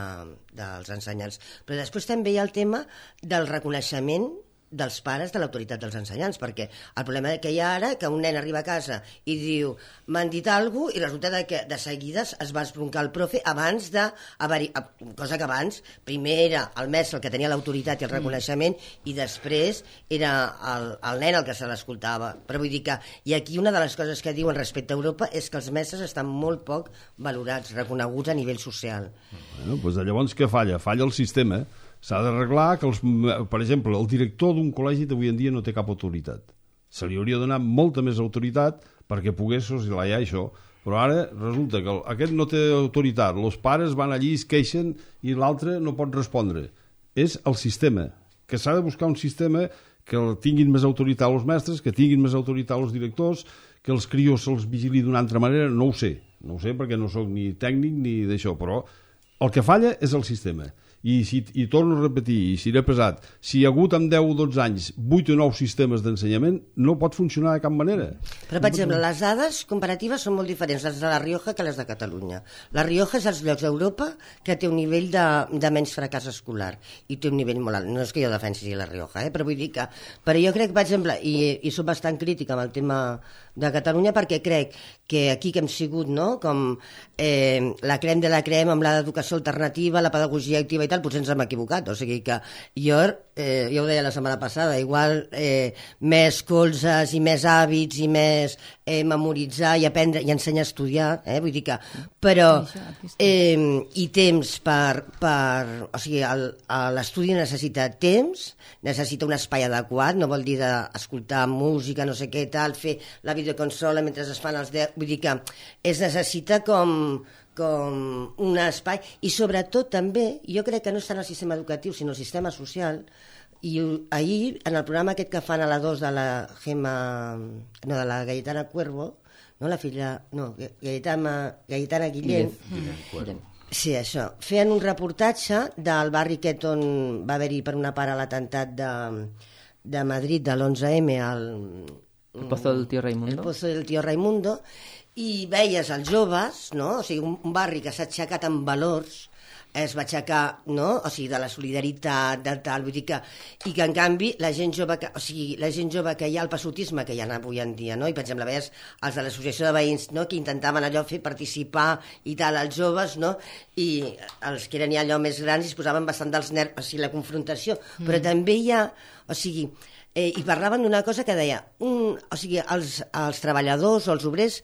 dels ensenyants, però després també hi ha el tema del reconeixement dels pares de l'autoritat dels ensenyants, perquè el problema que hi ha ara que un nen arriba a casa i diu m'han dit alguna cosa, i resulta que de seguida es va esbroncar el profe abans de cosa que abans primer era el mestre el que tenia l'autoritat i el reconeixement mm. i després era el, el nen el que se l'escoltava. Però vull dir que i aquí una de les coses que diuen respecte a Europa és que els mestres estan molt poc valorats, reconeguts a nivell social. Bueno, doncs llavors què falla? Falla el sistema. S'ha d'arreglar que, els, per exemple, el director d'un col·legi d'avui en dia no té cap autoritat. Se li hauria de donar molta més autoritat perquè pogués soslayar això. Però ara resulta que aquest no té autoritat, els pares van allí, es queixen i l'altre no pot respondre. És el sistema, que s'ha de buscar un sistema que tinguin més autoritat els mestres, que tinguin més autoritat els directors, que els crios se'ls vigili d'una altra manera, no ho sé. No ho sé perquè no sóc ni tècnic ni d'això, però el que falla és el sistema. I, si, i torno a repetir, i seré pesat, si hi ha hagut en deu o dotze anys vuit o nou sistemes d'ensenyament, no pot funcionar de cap manera. Però, per exemple, les dades comparatives són molt diferents, les de la Rioja que les de Catalunya. La Rioja és els llocs d'Europa que té un nivell de, de menys fracàs escolar i té un nivell molt alt. No és que jo defensi la Rioja, eh? Però vull dir que... Però jo crec, per exemple, i, i soc bastant crítica amb el tema de Catalunya, perquè crec que aquí que hem sigut, no?, com eh, la crem de la crem amb l'educació alternativa, la pedagogia activa i tal, potser ens hem equivocat. O sigui que jo, eh, jo ho deia la setmana passada, igual eh, més colzes i més hàbits i més eh, memoritzar i aprendre i ensenyar a estudiar, eh? Vull dir que... Però, eh, i temps per... per o sigui, l'estudi necessita temps, necessita un espai adequat, no vol dir d'escoltar música, no sé què, tal, fer la videoconsola mentre es fan els deu... Vull dir que es necessita com... com un espai, i sobretot també, jo crec que no està en el sistema educatiu, sinó el sistema social, i ahir, en el programa aquest que fan a la dos de la Gemma, no, de la Gaietana Cuervo, no, la filla, no, Gaietana, Gaietana Guillén, Guillén. Sí, això, feien un reportatge del barri aquest on va haver-hi per una part l'atemptat de, de Madrid de l'onze eme al... El Pozo del Tío Raimundo. El Pozo del Tío Raimundo, i veies els joves, no? O sigui, un, un barri que s'ha aixecat amb valors, es va aixecar, no? O sigui, de la solidaritat, de tal, vull dir que... I que, en canvi, la gent jove que, o sigui, la gent jove que hi ha el passotisme que hi ha avui en dia, no? I, per exemple, veies els de l'associació de veïns, no?, que intentaven allò fer participar i tal, als joves, no? I els que eren ja allò més grans es posaven bastant dels nervis, o sigui, la confrontació. Mm. Però també hi ha... O sigui, eh, i parlaven d'una cosa que deia... Un, o sigui, els, els treballadors o els obrers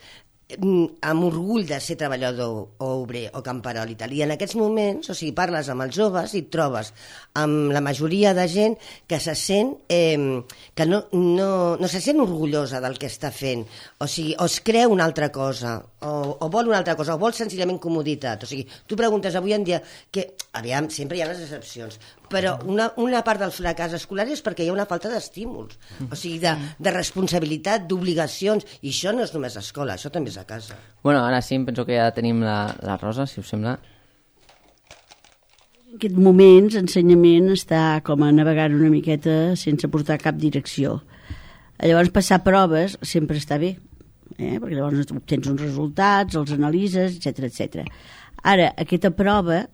amb orgull de ser treballador o obrer o camperol i tal. I en aquests moments, o sigui, parles amb els joves i et trobes amb la majoria de gent que se sent eh, que no, no, no se sent orgullosa del que està fent, o sigui, o es creu una altra cosa, o, o vol una altra cosa, o vol senzillament comoditat. O sigui, tu preguntes avui en dia que, aviam, sempre hi ha les excepcions, però una, una part del fracàs escolar és perquè hi ha una falta d'estímuls, o sigui, de, de responsabilitat, d'obligacions, i això no és només escola, això també és a casa. Bueno, ara sí, penso que ja tenim la, la Rosa, si us sembla. En aquest moments, ensenyament està com a navegant una miqueta sense portar cap direcció. Llavors, passar proves sempre està bé, eh? Perquè llavors obtens uns resultats, els analitzes, etcètera, etcètera. Ara, aquesta prova,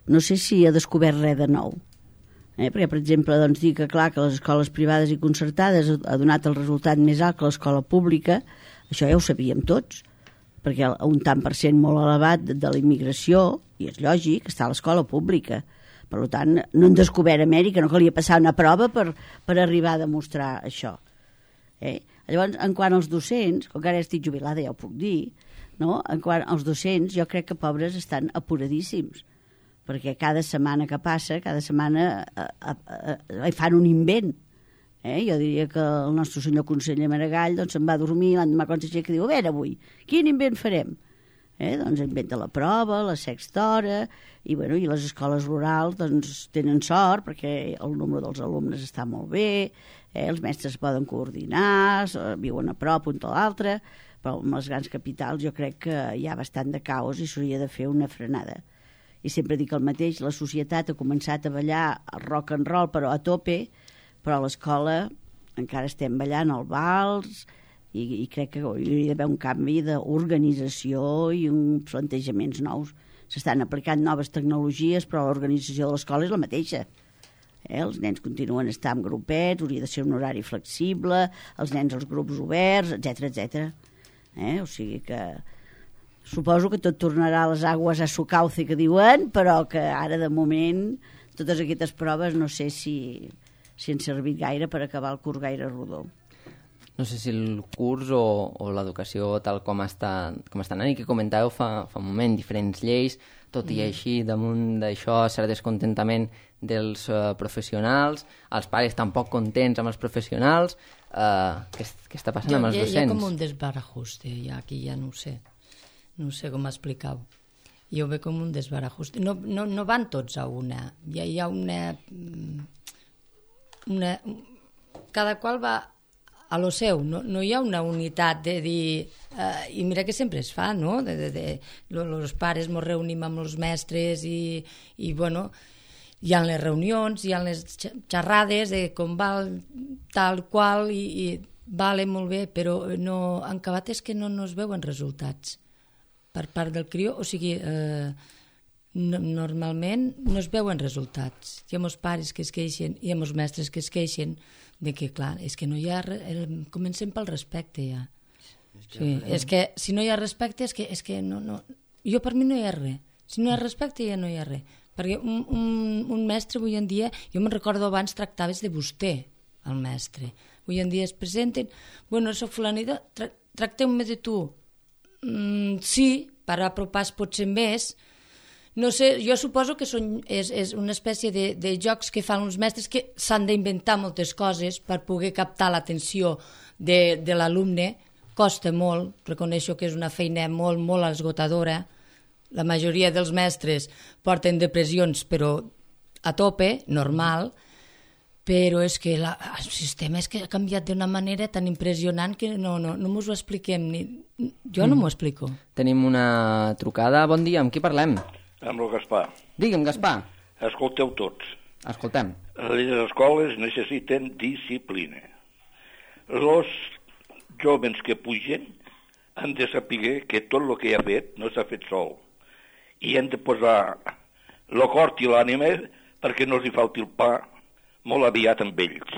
no sé si ha descobert res de nou. Eh? Perquè, per exemple, doncs, dir que, clar, que les escoles privades i concertades ha donat el resultat més alt que l'escola pública, això ja ho sabíem tots, perquè un tant per cent molt elevat de la immigració, i és lògic, està a l'escola pública. Per tant, no han descobert Amèrica, no calia passar una prova per, per arribar a demostrar això. Eh? Llavors, en quant als docents, com que ara estic jubilada, ja ho puc dir, no? En quant als docents, jo crec que pobres estan apuradíssims, perquè cada setmana que passa, cada setmana eh, eh, eh, fan un invent. Eh? Jo diria que el nostre senyor conseller Maragall doncs, se'n va dormir, l'endemà quan s'aixeca diu, a veure avui, quin invent farem? Eh? Doncs inventa la prova, la sexta hora, i, bueno, i les escoles rurals doncs, tenen sort perquè el número dels alumnes està molt bé, eh? Els mestres poden coordinar, viuen a prop un de l'altre, però amb les grans capitals jo crec que hi ha bastant de caos i s'hauria de fer una frenada. I sempre dic el mateix, la societat ha començat a ballar el rock and roll, però a tope, però a l'escola encara estem ballant el vals i, i crec que hi hauria d'haver un canvi d'organització i uns plantejaments nous. S'estan aplicant noves tecnologies, però l'organització de l'escola és la mateixa. Eh? Els nens continuen a estar en grupets, hauria de ser un horari flexible, els nens als grups oberts, etcètera, etcètera. Eh? O sigui que suposo que tot tornarà a les aigües a su cauce que diuen, però que ara de moment totes aquestes proves no sé si, si han servit gaire per acabar el curs gaire rodó. No sé si el curs o, o l'educació tal com està, com està anant, i que comentàveu fa, fa un moment, diferents lleis, tot i així damunt d'això cert descontentament dels uh, professionals, els pares tampoc contents amb els professionals, uh, què, què està passant jo, amb els docents? Hi ha com un desbarajuste, ja, aquí ja no ho sé. No sé com explicar-ho. Jo ho veig com un desbarajuste. No, no, no van tots a una. Hi ha, hi ha una, una... Cada qual va a lo seu. No, no hi ha una unitat de dir... Uh, I mira que sempre es fa, no? De, de, de, los pares ens reunim amb els mestres i, i bueno, hi ha les reunions, hi ha les xerrades de com va tal qual i, i vale molt bé, però no, en acabat és que no, no es veuen resultats per part del crió, o sigui, eh, no, normalment no es veuen resultats. Hi ha molts pares que es queixen, hi ha molts mestres que es queixen de que, clar, és que no hi ha... El, comencem pel respecte, ja. Sí, és que si no hi ha respecte, és que, és que no, no... Jo per mi no hi ha res. Si no hi ha respecte, ja no hi ha res. Perquè un, un, un mestre avui en dia, jo me'n recordo abans tractaves de vostè, el mestre. Avui en dia es presenten, bueno, soc fulanita, tra tracteu-me de tu. Mm, sí, per apropar potser més. No sé, jo suposo que són, és, és una espècie de, de jocs que fan uns mestres que s'han d'inventar moltes coses per poder captar l'atenció de, de l'alumne. Costa molt, reconeixo que és una feina molt, molt esgotadora. La majoria dels mestres porten depressions, però a tope, normal, però és que la, el sistema és que ha canviat d'una manera tan impressionant que no, no, no mos ho expliquem. Ni, jo no m'ho explico. Tenim una trucada. Bon dia, amb qui parlem? Amb el Gaspar. Digue'm, Gaspar. Escolteu tots. Escoltem. Les escoles necessiten disciplina. Els jóvens que pugen han de saber que tot el que ha fet no s'ha fet sol. I han de posar el cor i l'ànima perquè no els hi falti el pa molt aviat amb ells.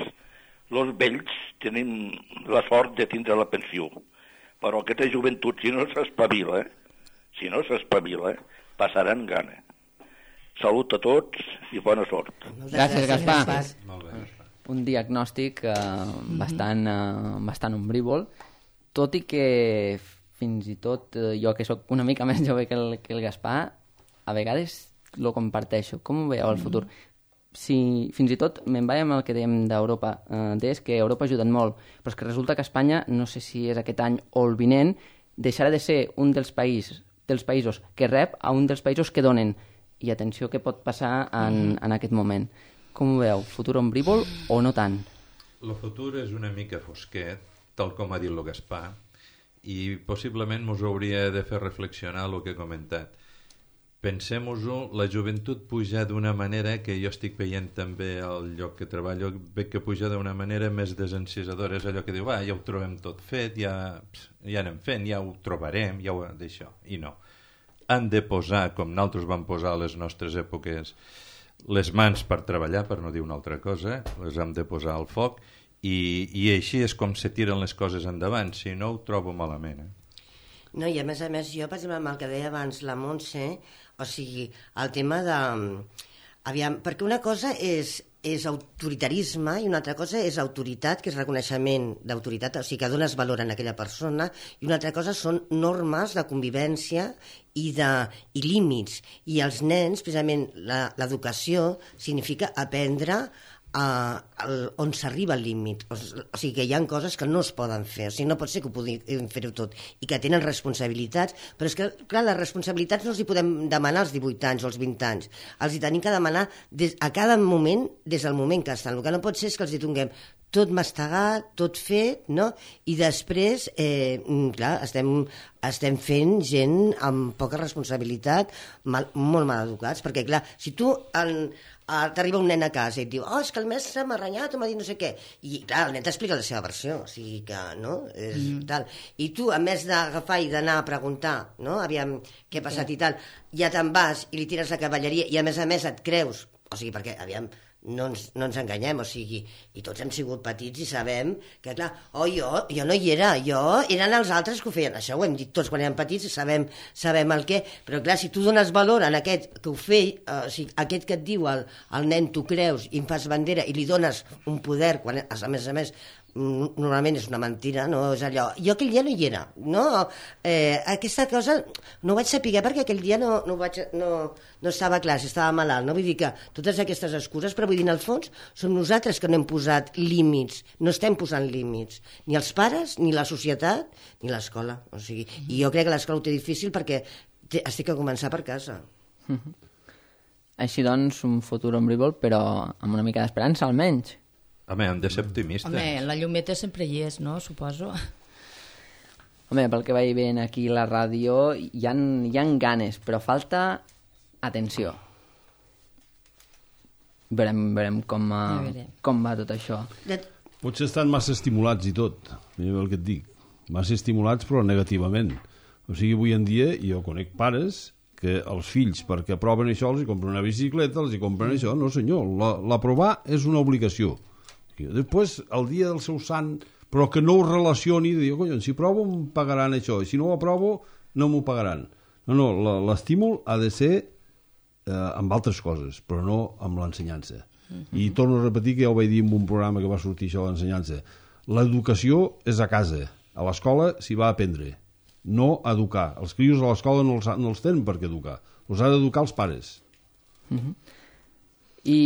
Els vells tenim la sort de tindre la pensió, però aquesta joventut, si no s'espavila, si no s'espavila, passaran gana. Salut a tots i bona sort. Gràcies, Gaspar. Molt bé. Un diagnòstic eh, bastant, eh, bastant ombrívol, tot i que fins i tot eh, jo que sóc una mica més jove que el, que el Gaspar, a vegades lo comparteixo. Com ho veieu al futur? Si, fins i tot me'n vaig amb el que dèiem d'Europa, eh, és que Europa ha ajudat molt, però és que resulta que Espanya, no sé si és aquest any o el vinent, deixarà de ser un dels països, dels països que rep a un dels països que donen. I atenció què pot passar en, en aquest moment. Com ho veieu? Futur ombrívol o no tant? El futur és una mica fosquet, tal com ha dit el Gaspar, i possiblement ens hauria de fer reflexionar el que he comentat. Pensem-ho, la joventut puja d'una manera que jo estic veient també al lloc que treballo, veig que puja d'una manera més desencisadora, és allò que diu, ah, ja ho trobem tot fet, ja, ja anem fent, ja ho trobarem, ja ho d'això, i no. Han de posar, com nosaltres vam posar a les nostres èpoques, les mans per treballar, per no dir una altra cosa, les hem de posar al foc, i, i així és com se tiren les coses endavant, si no ho trobo malament. Eh? No, i a més a més, jo, per exemple, amb el que deia abans la Montse, o sigui, el tema de... Aviam, perquè una cosa és, és autoritarisme i una altra cosa és autoritat, que és reconeixement d'autoritat, o sigui, que dones valor a aquella persona, i una altra cosa són normes de convivència i, de, i límits. I els nens, precisament, l'educació significa aprendre Uh, el, on s'arriba al límit, o, o sigui que hi ha coses que no es poden fer, o sigui, no pot ser que ho puguin fer-ho tot i que tenen responsabilitats, però és que clar, les responsabilitats no els hi podem demanar als divuit anys o als vint anys, els hi tenim que demanar des, a cada moment, des del moment que estan. El que no pot ser és que els hi donem tot mastegat, tot fet, no? I després, eh, clar, estem, estem fent gent amb poca responsabilitat, mal, molt mal educats, perquè clar, si tu en, t'arriba un nen a casa i et diu, oh, és que el mestre m'ha renyat o m'ha dit no sé què, i clar, el nen t'explica la seva versió, o sigui que, no? És, mm. tal. I tu, a més d'agafar i d'anar a preguntar, no? Aviam què ha passat sí. i tal, ja te'n vas i li tires la cavalleria i a més a més et creus, o sigui, perquè, aviam, no ens, no ens enganyem, o sigui, i tots hem sigut petits i sabem que, clar, oh, jo, jo no hi era, jo, eren els altres que ho feien, això ho hem dit tots quan érem petits, sabem, sabem el què, però clar, si tu dones valor a aquest que ho feia, eh, o sigui, aquest que et diu al, al nen tu creus i em fas bandera i li dones un poder, quan a més a més normalment és una mentira, no és allò, jo aquell dia no hi era, no? Eh, aquesta cosa no ho vaig saber perquè aquell dia no, no, vaig, no, no estava clar, si estava malalt, no? Vull dir que totes aquestes excuses, però vull dir, en el fons som nosaltres que no hem posat límits, no estem posant límits, ni els pares, ni la societat, ni l'escola, o sigui, i jo crec que l'escola ho té difícil perquè té, es té que començar per casa. Mm-hmm. Així doncs, un futur ombrívol, però amb una mica d'esperança, almenys. Home, hem de ser optimistes. Home, la llumeta sempre hi és, no? Suposo. Home, pel que vaig veient aquí la ràdio, hi ha, hi ha ganes, però falta atenció. Veurem, veurem com, uh, veurem. com va tot això. Potser estan massa estimulats i tot, mira el que et dic. Massa estimulats, però negativament. O sigui, avui en dia jo conec pares que els fills, perquè aproven això, els hi compren una bicicleta, els hi compren això. No, senyor, l'aprovar és una obligació. Després, el dia del seu sant, però que no ho relacioni, de dir, collons, si provo em pagaran això, i si no ho aprovo no m'ho pagaran. No, no, l'estímul ha de ser eh, amb altres coses, però no amb l'ensenyança. Uh-huh. I torno a repetir que ja ho vaig dir en un programa que va sortir això, l'ensenyança. L'educació és a casa, a l'escola s'hi va aprendre, no a educar. Els crios a l'escola no els, no els tenen per què educar, els ha d'educar els pares. Uh-huh. I...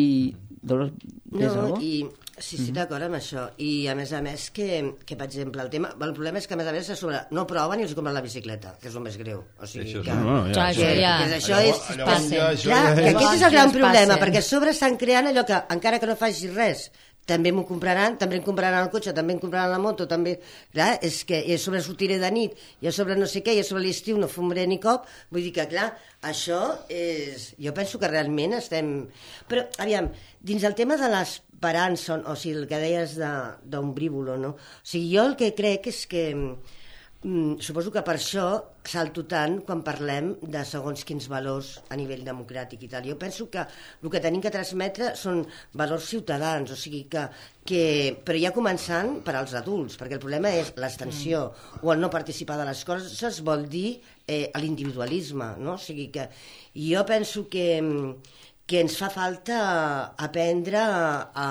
Dolors, no, i sí, sí, d'acord amb això. I a més a més que, que per exemple, el tema, el problema és que a més a més sobre, no proven i els compren la bicicleta, que és el més greu. O sigui, això que, no, no, ja, que, ja. que això allò, és... allò, pas, ja, això clar, ja, que ja. aquest és el gran problema, passen. perquè a sobre estan creant allò que, encara que no facis res, també m'ho compraran, també em compraran el cotxe, també em compraran la moto, també... Clar, és que i a sobre sortiré de nit, i a sobre no sé què, i a sobre l'estiu no fumaré ni cop, vull dir que, clar, això és... Jo penso que realment estem... Però, aviam, dins el tema de l'esperança, o sigui, el que deies d'ombrívolo, no? O sigui, jo el que crec és que... Mm, suposo que per això salto tant quan parlem de segons quins valors a nivell democràtic i tal. Jo penso que el que tenim que transmetre són valors ciutadans, o sigui que, que però ja començant per als adults, perquè el problema és l'extensió mm. o el no participar de les coses vol dir eh, l'individualisme, no? O sigui que jo penso que que ens fa falta aprendre a,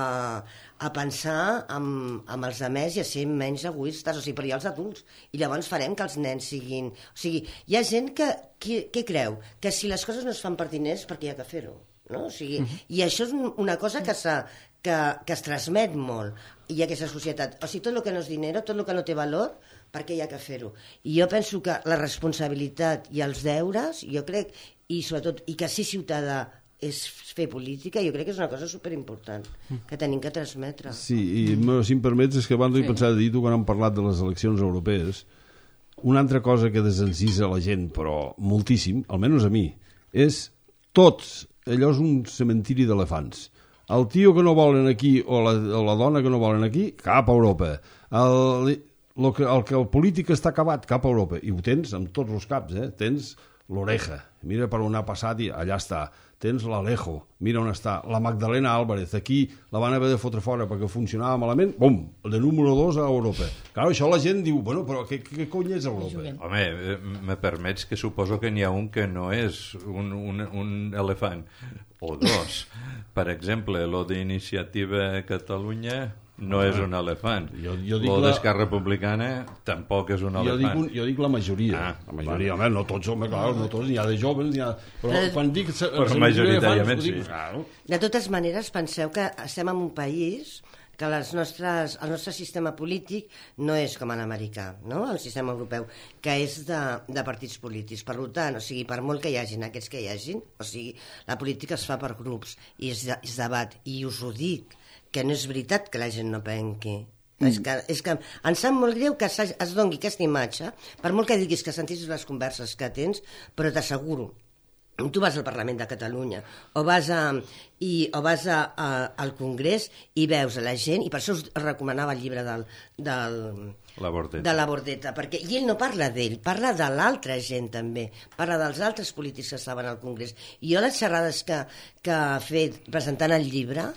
a pensar amb, amb els altres i a ser menys egoistes, o sigui, però hi ha els adults, i llavors farem que els nens siguin... O sigui, hi ha gent que, que, que creu que si les coses no es fan per diners, perquè hi ha que fer-ho, no? O sigui, uh-huh. I això és una cosa que, que, que es transmet molt, i aquesta societat. O sigui, tot el que no és dinero, tot el que no té valor, per què hi ha que fer-ho? I jo penso que la responsabilitat i els deures, jo crec, i sobretot, i que ser ciutadà és fer política, jo crec que és una cosa superimportant que tenim que transmetre. Sí, i si em permets, és que abans sí. he pensat a dir, tu quan hem parlat de les eleccions europees, una altra cosa que desencisa la gent, però moltíssim, almenys a mi, és tots, allò és un cementiri d'elefants. El tio que no volen aquí o la, o la dona que no volen aquí, cap a Europa. El, el, que, el que el polític està acabat, cap a Europa. I ho tens amb tots els caps, eh? Tens l'Oreja, mira per on ha passat i allà està. Tens l'Alejo, mira on està. La Magdalena Álvarez, aquí la van haver de fotre fora perquè funcionava malament, bum, de número dos a Europa. Clar, això la gent diu, bueno, però què, què cony és Europa? Home, me permets que suposo que n'hi ha un que no és un, un, un elefant, o dos. Per exemple, lo d'Iniciativa Catalunya no és un elefant. Jo, jo dic lo la... d'Esquerra Republicana tampoc és un elefant. Jo dic, un, jo dic la majoria. Ah, la majoria, home, no tots, home, clar, no tots, n'hi ha de joves, n'hi ha... Però eh, quan dic... Però majoritàriament sí. Claro. De totes maneres, penseu que estem en un país que les nostres, el nostre sistema polític no és com l'americà, no? El sistema europeu, que és de, de partits polítics. Per tant, o sigui, per molt que hi hagin aquests que hi hagin, o sigui, la política es fa per grups i es, es debat, i us ho dic, que no és veritat que la gent no penqui. Mm. És, que, és que em sap molt greu que es doni aquesta imatge, per molt que diguis que sentis les converses que tens, però t'asseguro, tu vas al Parlament de Catalunya o vas, a, i, o vas a, a, al Congrés i veus a la gent, i per això us recomanava el llibre del, del, la Bordeta. de la Bordeta, perquè i ell no parla d'ell, parla de l'altra gent també, parla dels altres polítics que estaven al Congrés. I jo les xerrades que, que ha fet presentant el llibre,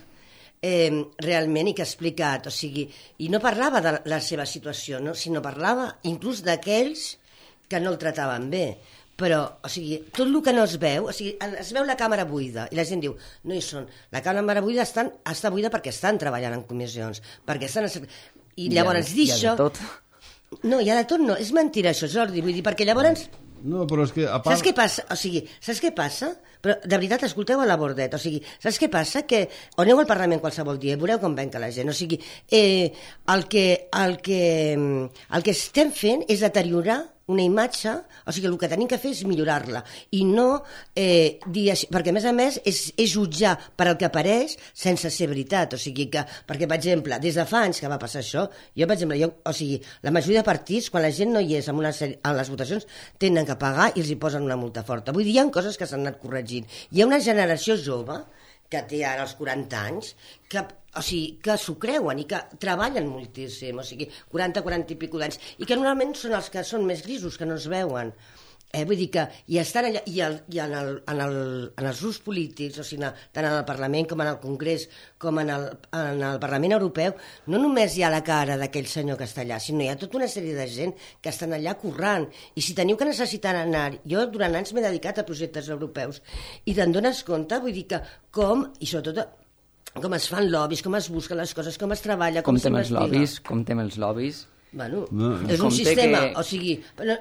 Eh, realment, i que ha explicat, o sigui, i no parlava de la seva situació, no? Sinó parlava inclús d'aquells que no el trataven bé, però, o sigui, tot el que no es veu, o sigui, es veu la càmera buida, i la gent diu, no hi són, la càmera buida estan, està buida perquè estan treballant en comissions, perquè estan... I llavors dir això... Hi ha de tot. No, hi ha de tot no, és mentira això, Jordi, vull dir, perquè llavors... No, però és que a part... Saps què passa? O sigui, saps què passa? Però, de veritat, escolteu a la Bordeta, o sigui, saps què passa? Que o aneu al Parlament qualsevol dia, veureu com venca la gent, o sigui, eh, el, que, el, que, el que estem fent és deteriorar una imatge, o sigui, el que tenim que fer és millorar-la, i no eh, dir així, perquè a més a més és, és jutjar per el que apareix sense ser veritat, o sigui que, perquè per exemple, des de fa anys que va passar això, jo per exemple, jo, o sigui, la majoria de partits, quan la gent no hi és en, una sèrie, en les votacions, tenen que pagar i els hi posen una multa forta. Vull dir, hi ha coses que s'han anat corregint. Hi ha una generació jove que té ara els quaranta anys, que, o sigui, que s'ho creuen i que treballen moltíssim, o sigui, quaranta, quaranta i pico d'anys, i que normalment són els que són més grisos, que no es veuen. Eh, vull dir que i estan allà, i, el, i en, el, en, el, en els grups polítics, o sigui, tant en el Parlament com en el Congrés, com en el, en el Parlament Europeu, no només hi ha la cara d'aquell senyor que està allà, sinó hi ha tota una sèrie de gent que estan allà currant. I si teniu que necessitar anar... Jo durant anys m'he dedicat a projectes europeus i te'n dones compte, vull dir que com, i sobretot com es fan lobbies, com es busquen les coses, com es treballa, com, com s'investiga. Com tem els lobbies... Bueno, no, és un sistema, que... o sigui,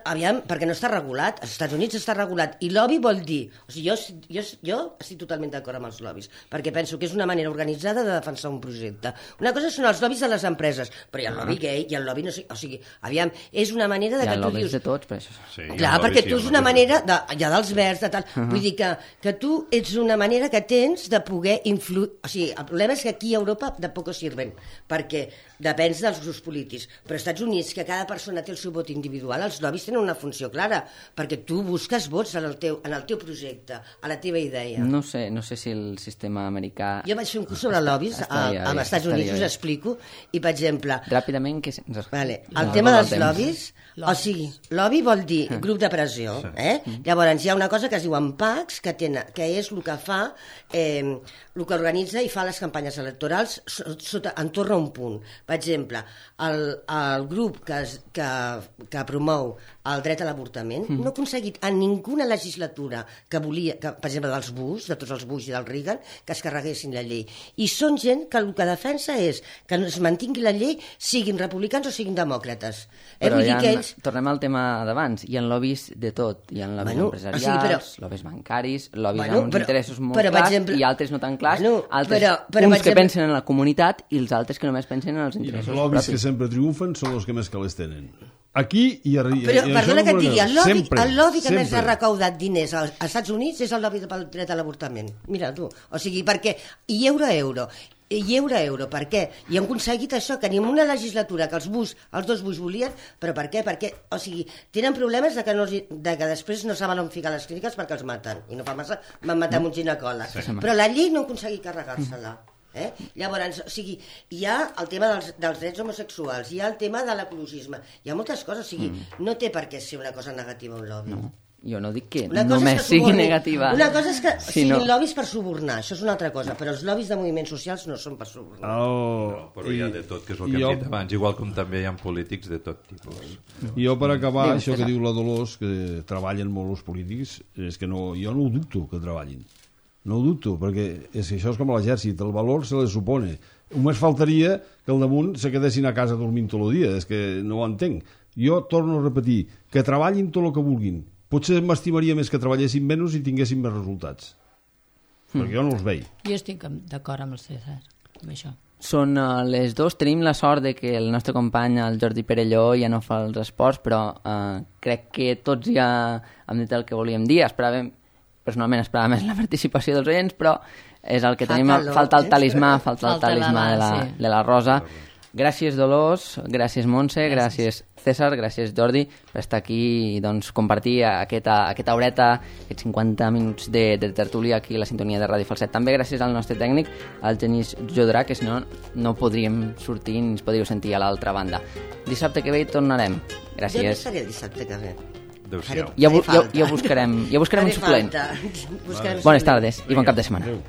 aviam, perquè no està regulat, als Estats Units està regulat, i lobby vol dir, o sigui, jo, jo, jo estic totalment d'acord amb els lobbies, perquè penso que és una manera organitzada de defensar un projecte. Una cosa són els lobbies de les empreses, però hi ha el lobby gay, hi ha el lobby, no sé, o sigui, aviam, és una manera de que tu dius... Hi ha lobbies de tots, per això. Sí, clar, perquè tu és una manera, de, hi ha dels verds, de tal, uh-huh. Vull dir que, que tu ets una manera que tens de poder influir, o sigui, el problema és que aquí a Europa de poco sirven, perquè depèn dels grups polítics, però als Estats Units, que cada persona té el seu vot individual, els lobbies tenen una funció clara, perquè tu busques vots en el teu, en el teu projecte, a la teva idea. No sé, no sé si el sistema americà... Jo vaig fer un curs sobre lobbies estaria, als Estats Units, us explico, i per exemple... Ràpidament, que... Vale, el no, tema no dels lobbies, lobbies, o sigui, lobby vol dir grup de pressió, eh? Llavors hi ha una cosa que es diu PACs, que, tenen, que és el que fa, eh, el que organitza i fa les campanyes electorals sota, entorn a un punt. Per exemple, el, el grup que, es, que, que promou el dret a l'avortament mm. no ha aconseguit en ninguna legislatura que volia, que, per exemple, dels Bush, de tots els Bush i del Reagan, que es carreguessin la llei. I són gent que el que defensa és que es mantingui la llei, siguin republicans o siguin demòcrates. Eh, però vull ja dir que ells... tornem al tema d'abans. Hi ha lobbies de tot. Hi ha lobbies bueno, empresarials, o sigui, però... lobbies bancaris, lobbies bueno, amb uns però, interessos molt però, clars exemple... i altres no tan clars, bueno, altres, però, però, uns exemple... que pensen en la comunitat i els altres que només pensen en els interessos I els lobbies propis. que sempre triomfen són els que més calés tenen. Aquí i a, però, i perdona que et digui, el lobby, sempre, el lobby que sempre. més ha recaudat diners als Estats Units és el lobby pel dret a l'avortament. Mira tu, o sigui, perquè i euro a euro, i euro a euro, per què? I han aconseguit això, que ni en una legislatura que els Bush, els dos Bush volien, però per què? Perquè, o sigui, tenen problemes de que, no, de que després no saben on ficar les clíniques perquè els maten, i no fa massa van matar no. un ginecòleg. Sí, però la llei no ha aconseguit carregar-se-la. Eh? Llavors, o sigui, hi ha el tema dels, dels drets homosexuals, hi ha el tema de l'ecologisme, hi ha moltes coses, o sigui, mm. no té per què ser una cosa negativa un lobby. No. Jo no dic que una només que sigui negativa. Una cosa és que sí, siguin no. lobbies per subornar, això és una altra cosa, però els lobbies de moviments socials no són per subornar. Oh, no, però hi ha de tot, que és el que jo... hem dit abans, igual com també hi ha polítics de tot tipus. I jo, per acabar, Dime, això que César. diu la Dolors, que treballen molt els polítics, és que no, jo no ho dubto que treballin. No ho dubto, perquè és que això és com l'exèrcit, el valor se les supone. Només faltaria que al damunt se quedessin a casa dormint tot el dia, és que no ho entenc. Jo torno a repetir, que treballin tot el que vulguin. Potser m'estimaria més que treballessin menys i tinguessin més resultats. Mm. Perquè jo no els veig. Jo estic d'acord amb el César, amb això. Són uh, les dos. Tenim la sort de que el nostre company, el Jordi Perelló, ja no fa els esports, però uh, crec que tots ja hem dit el que volíem dir. Esperàvem, personalment esperava més la participació dels oients, però és el que Fa tenim. calor, Falta el eh? talismà, falta el Falta talismà la- de la, sí. de la Rosa. Gràcies, Dolors, gràcies, Montse, gràcies, César, gràcies, Jordi, per estar aquí i doncs, compartir aquesta, aquesta horeta, aquests cinquanta minuts de, de tertúlia aquí a la sintonia de Ràdio Falset. També gràcies al nostre tècnic, al Genís Jodrà, que si no, no podríem sortir ni ens podríeu sentir a l'altra banda. Dissabte que ve hi tornarem. Jo no Gràcies. estaré el dissabte que ve. Adéu-siau. Ja, bu- ja, Faré falta. ja buscarem, ja buscarem un Faré suplent. falta. Buscarem Bones suplent. tardes i bon cap de setmana. Adéu.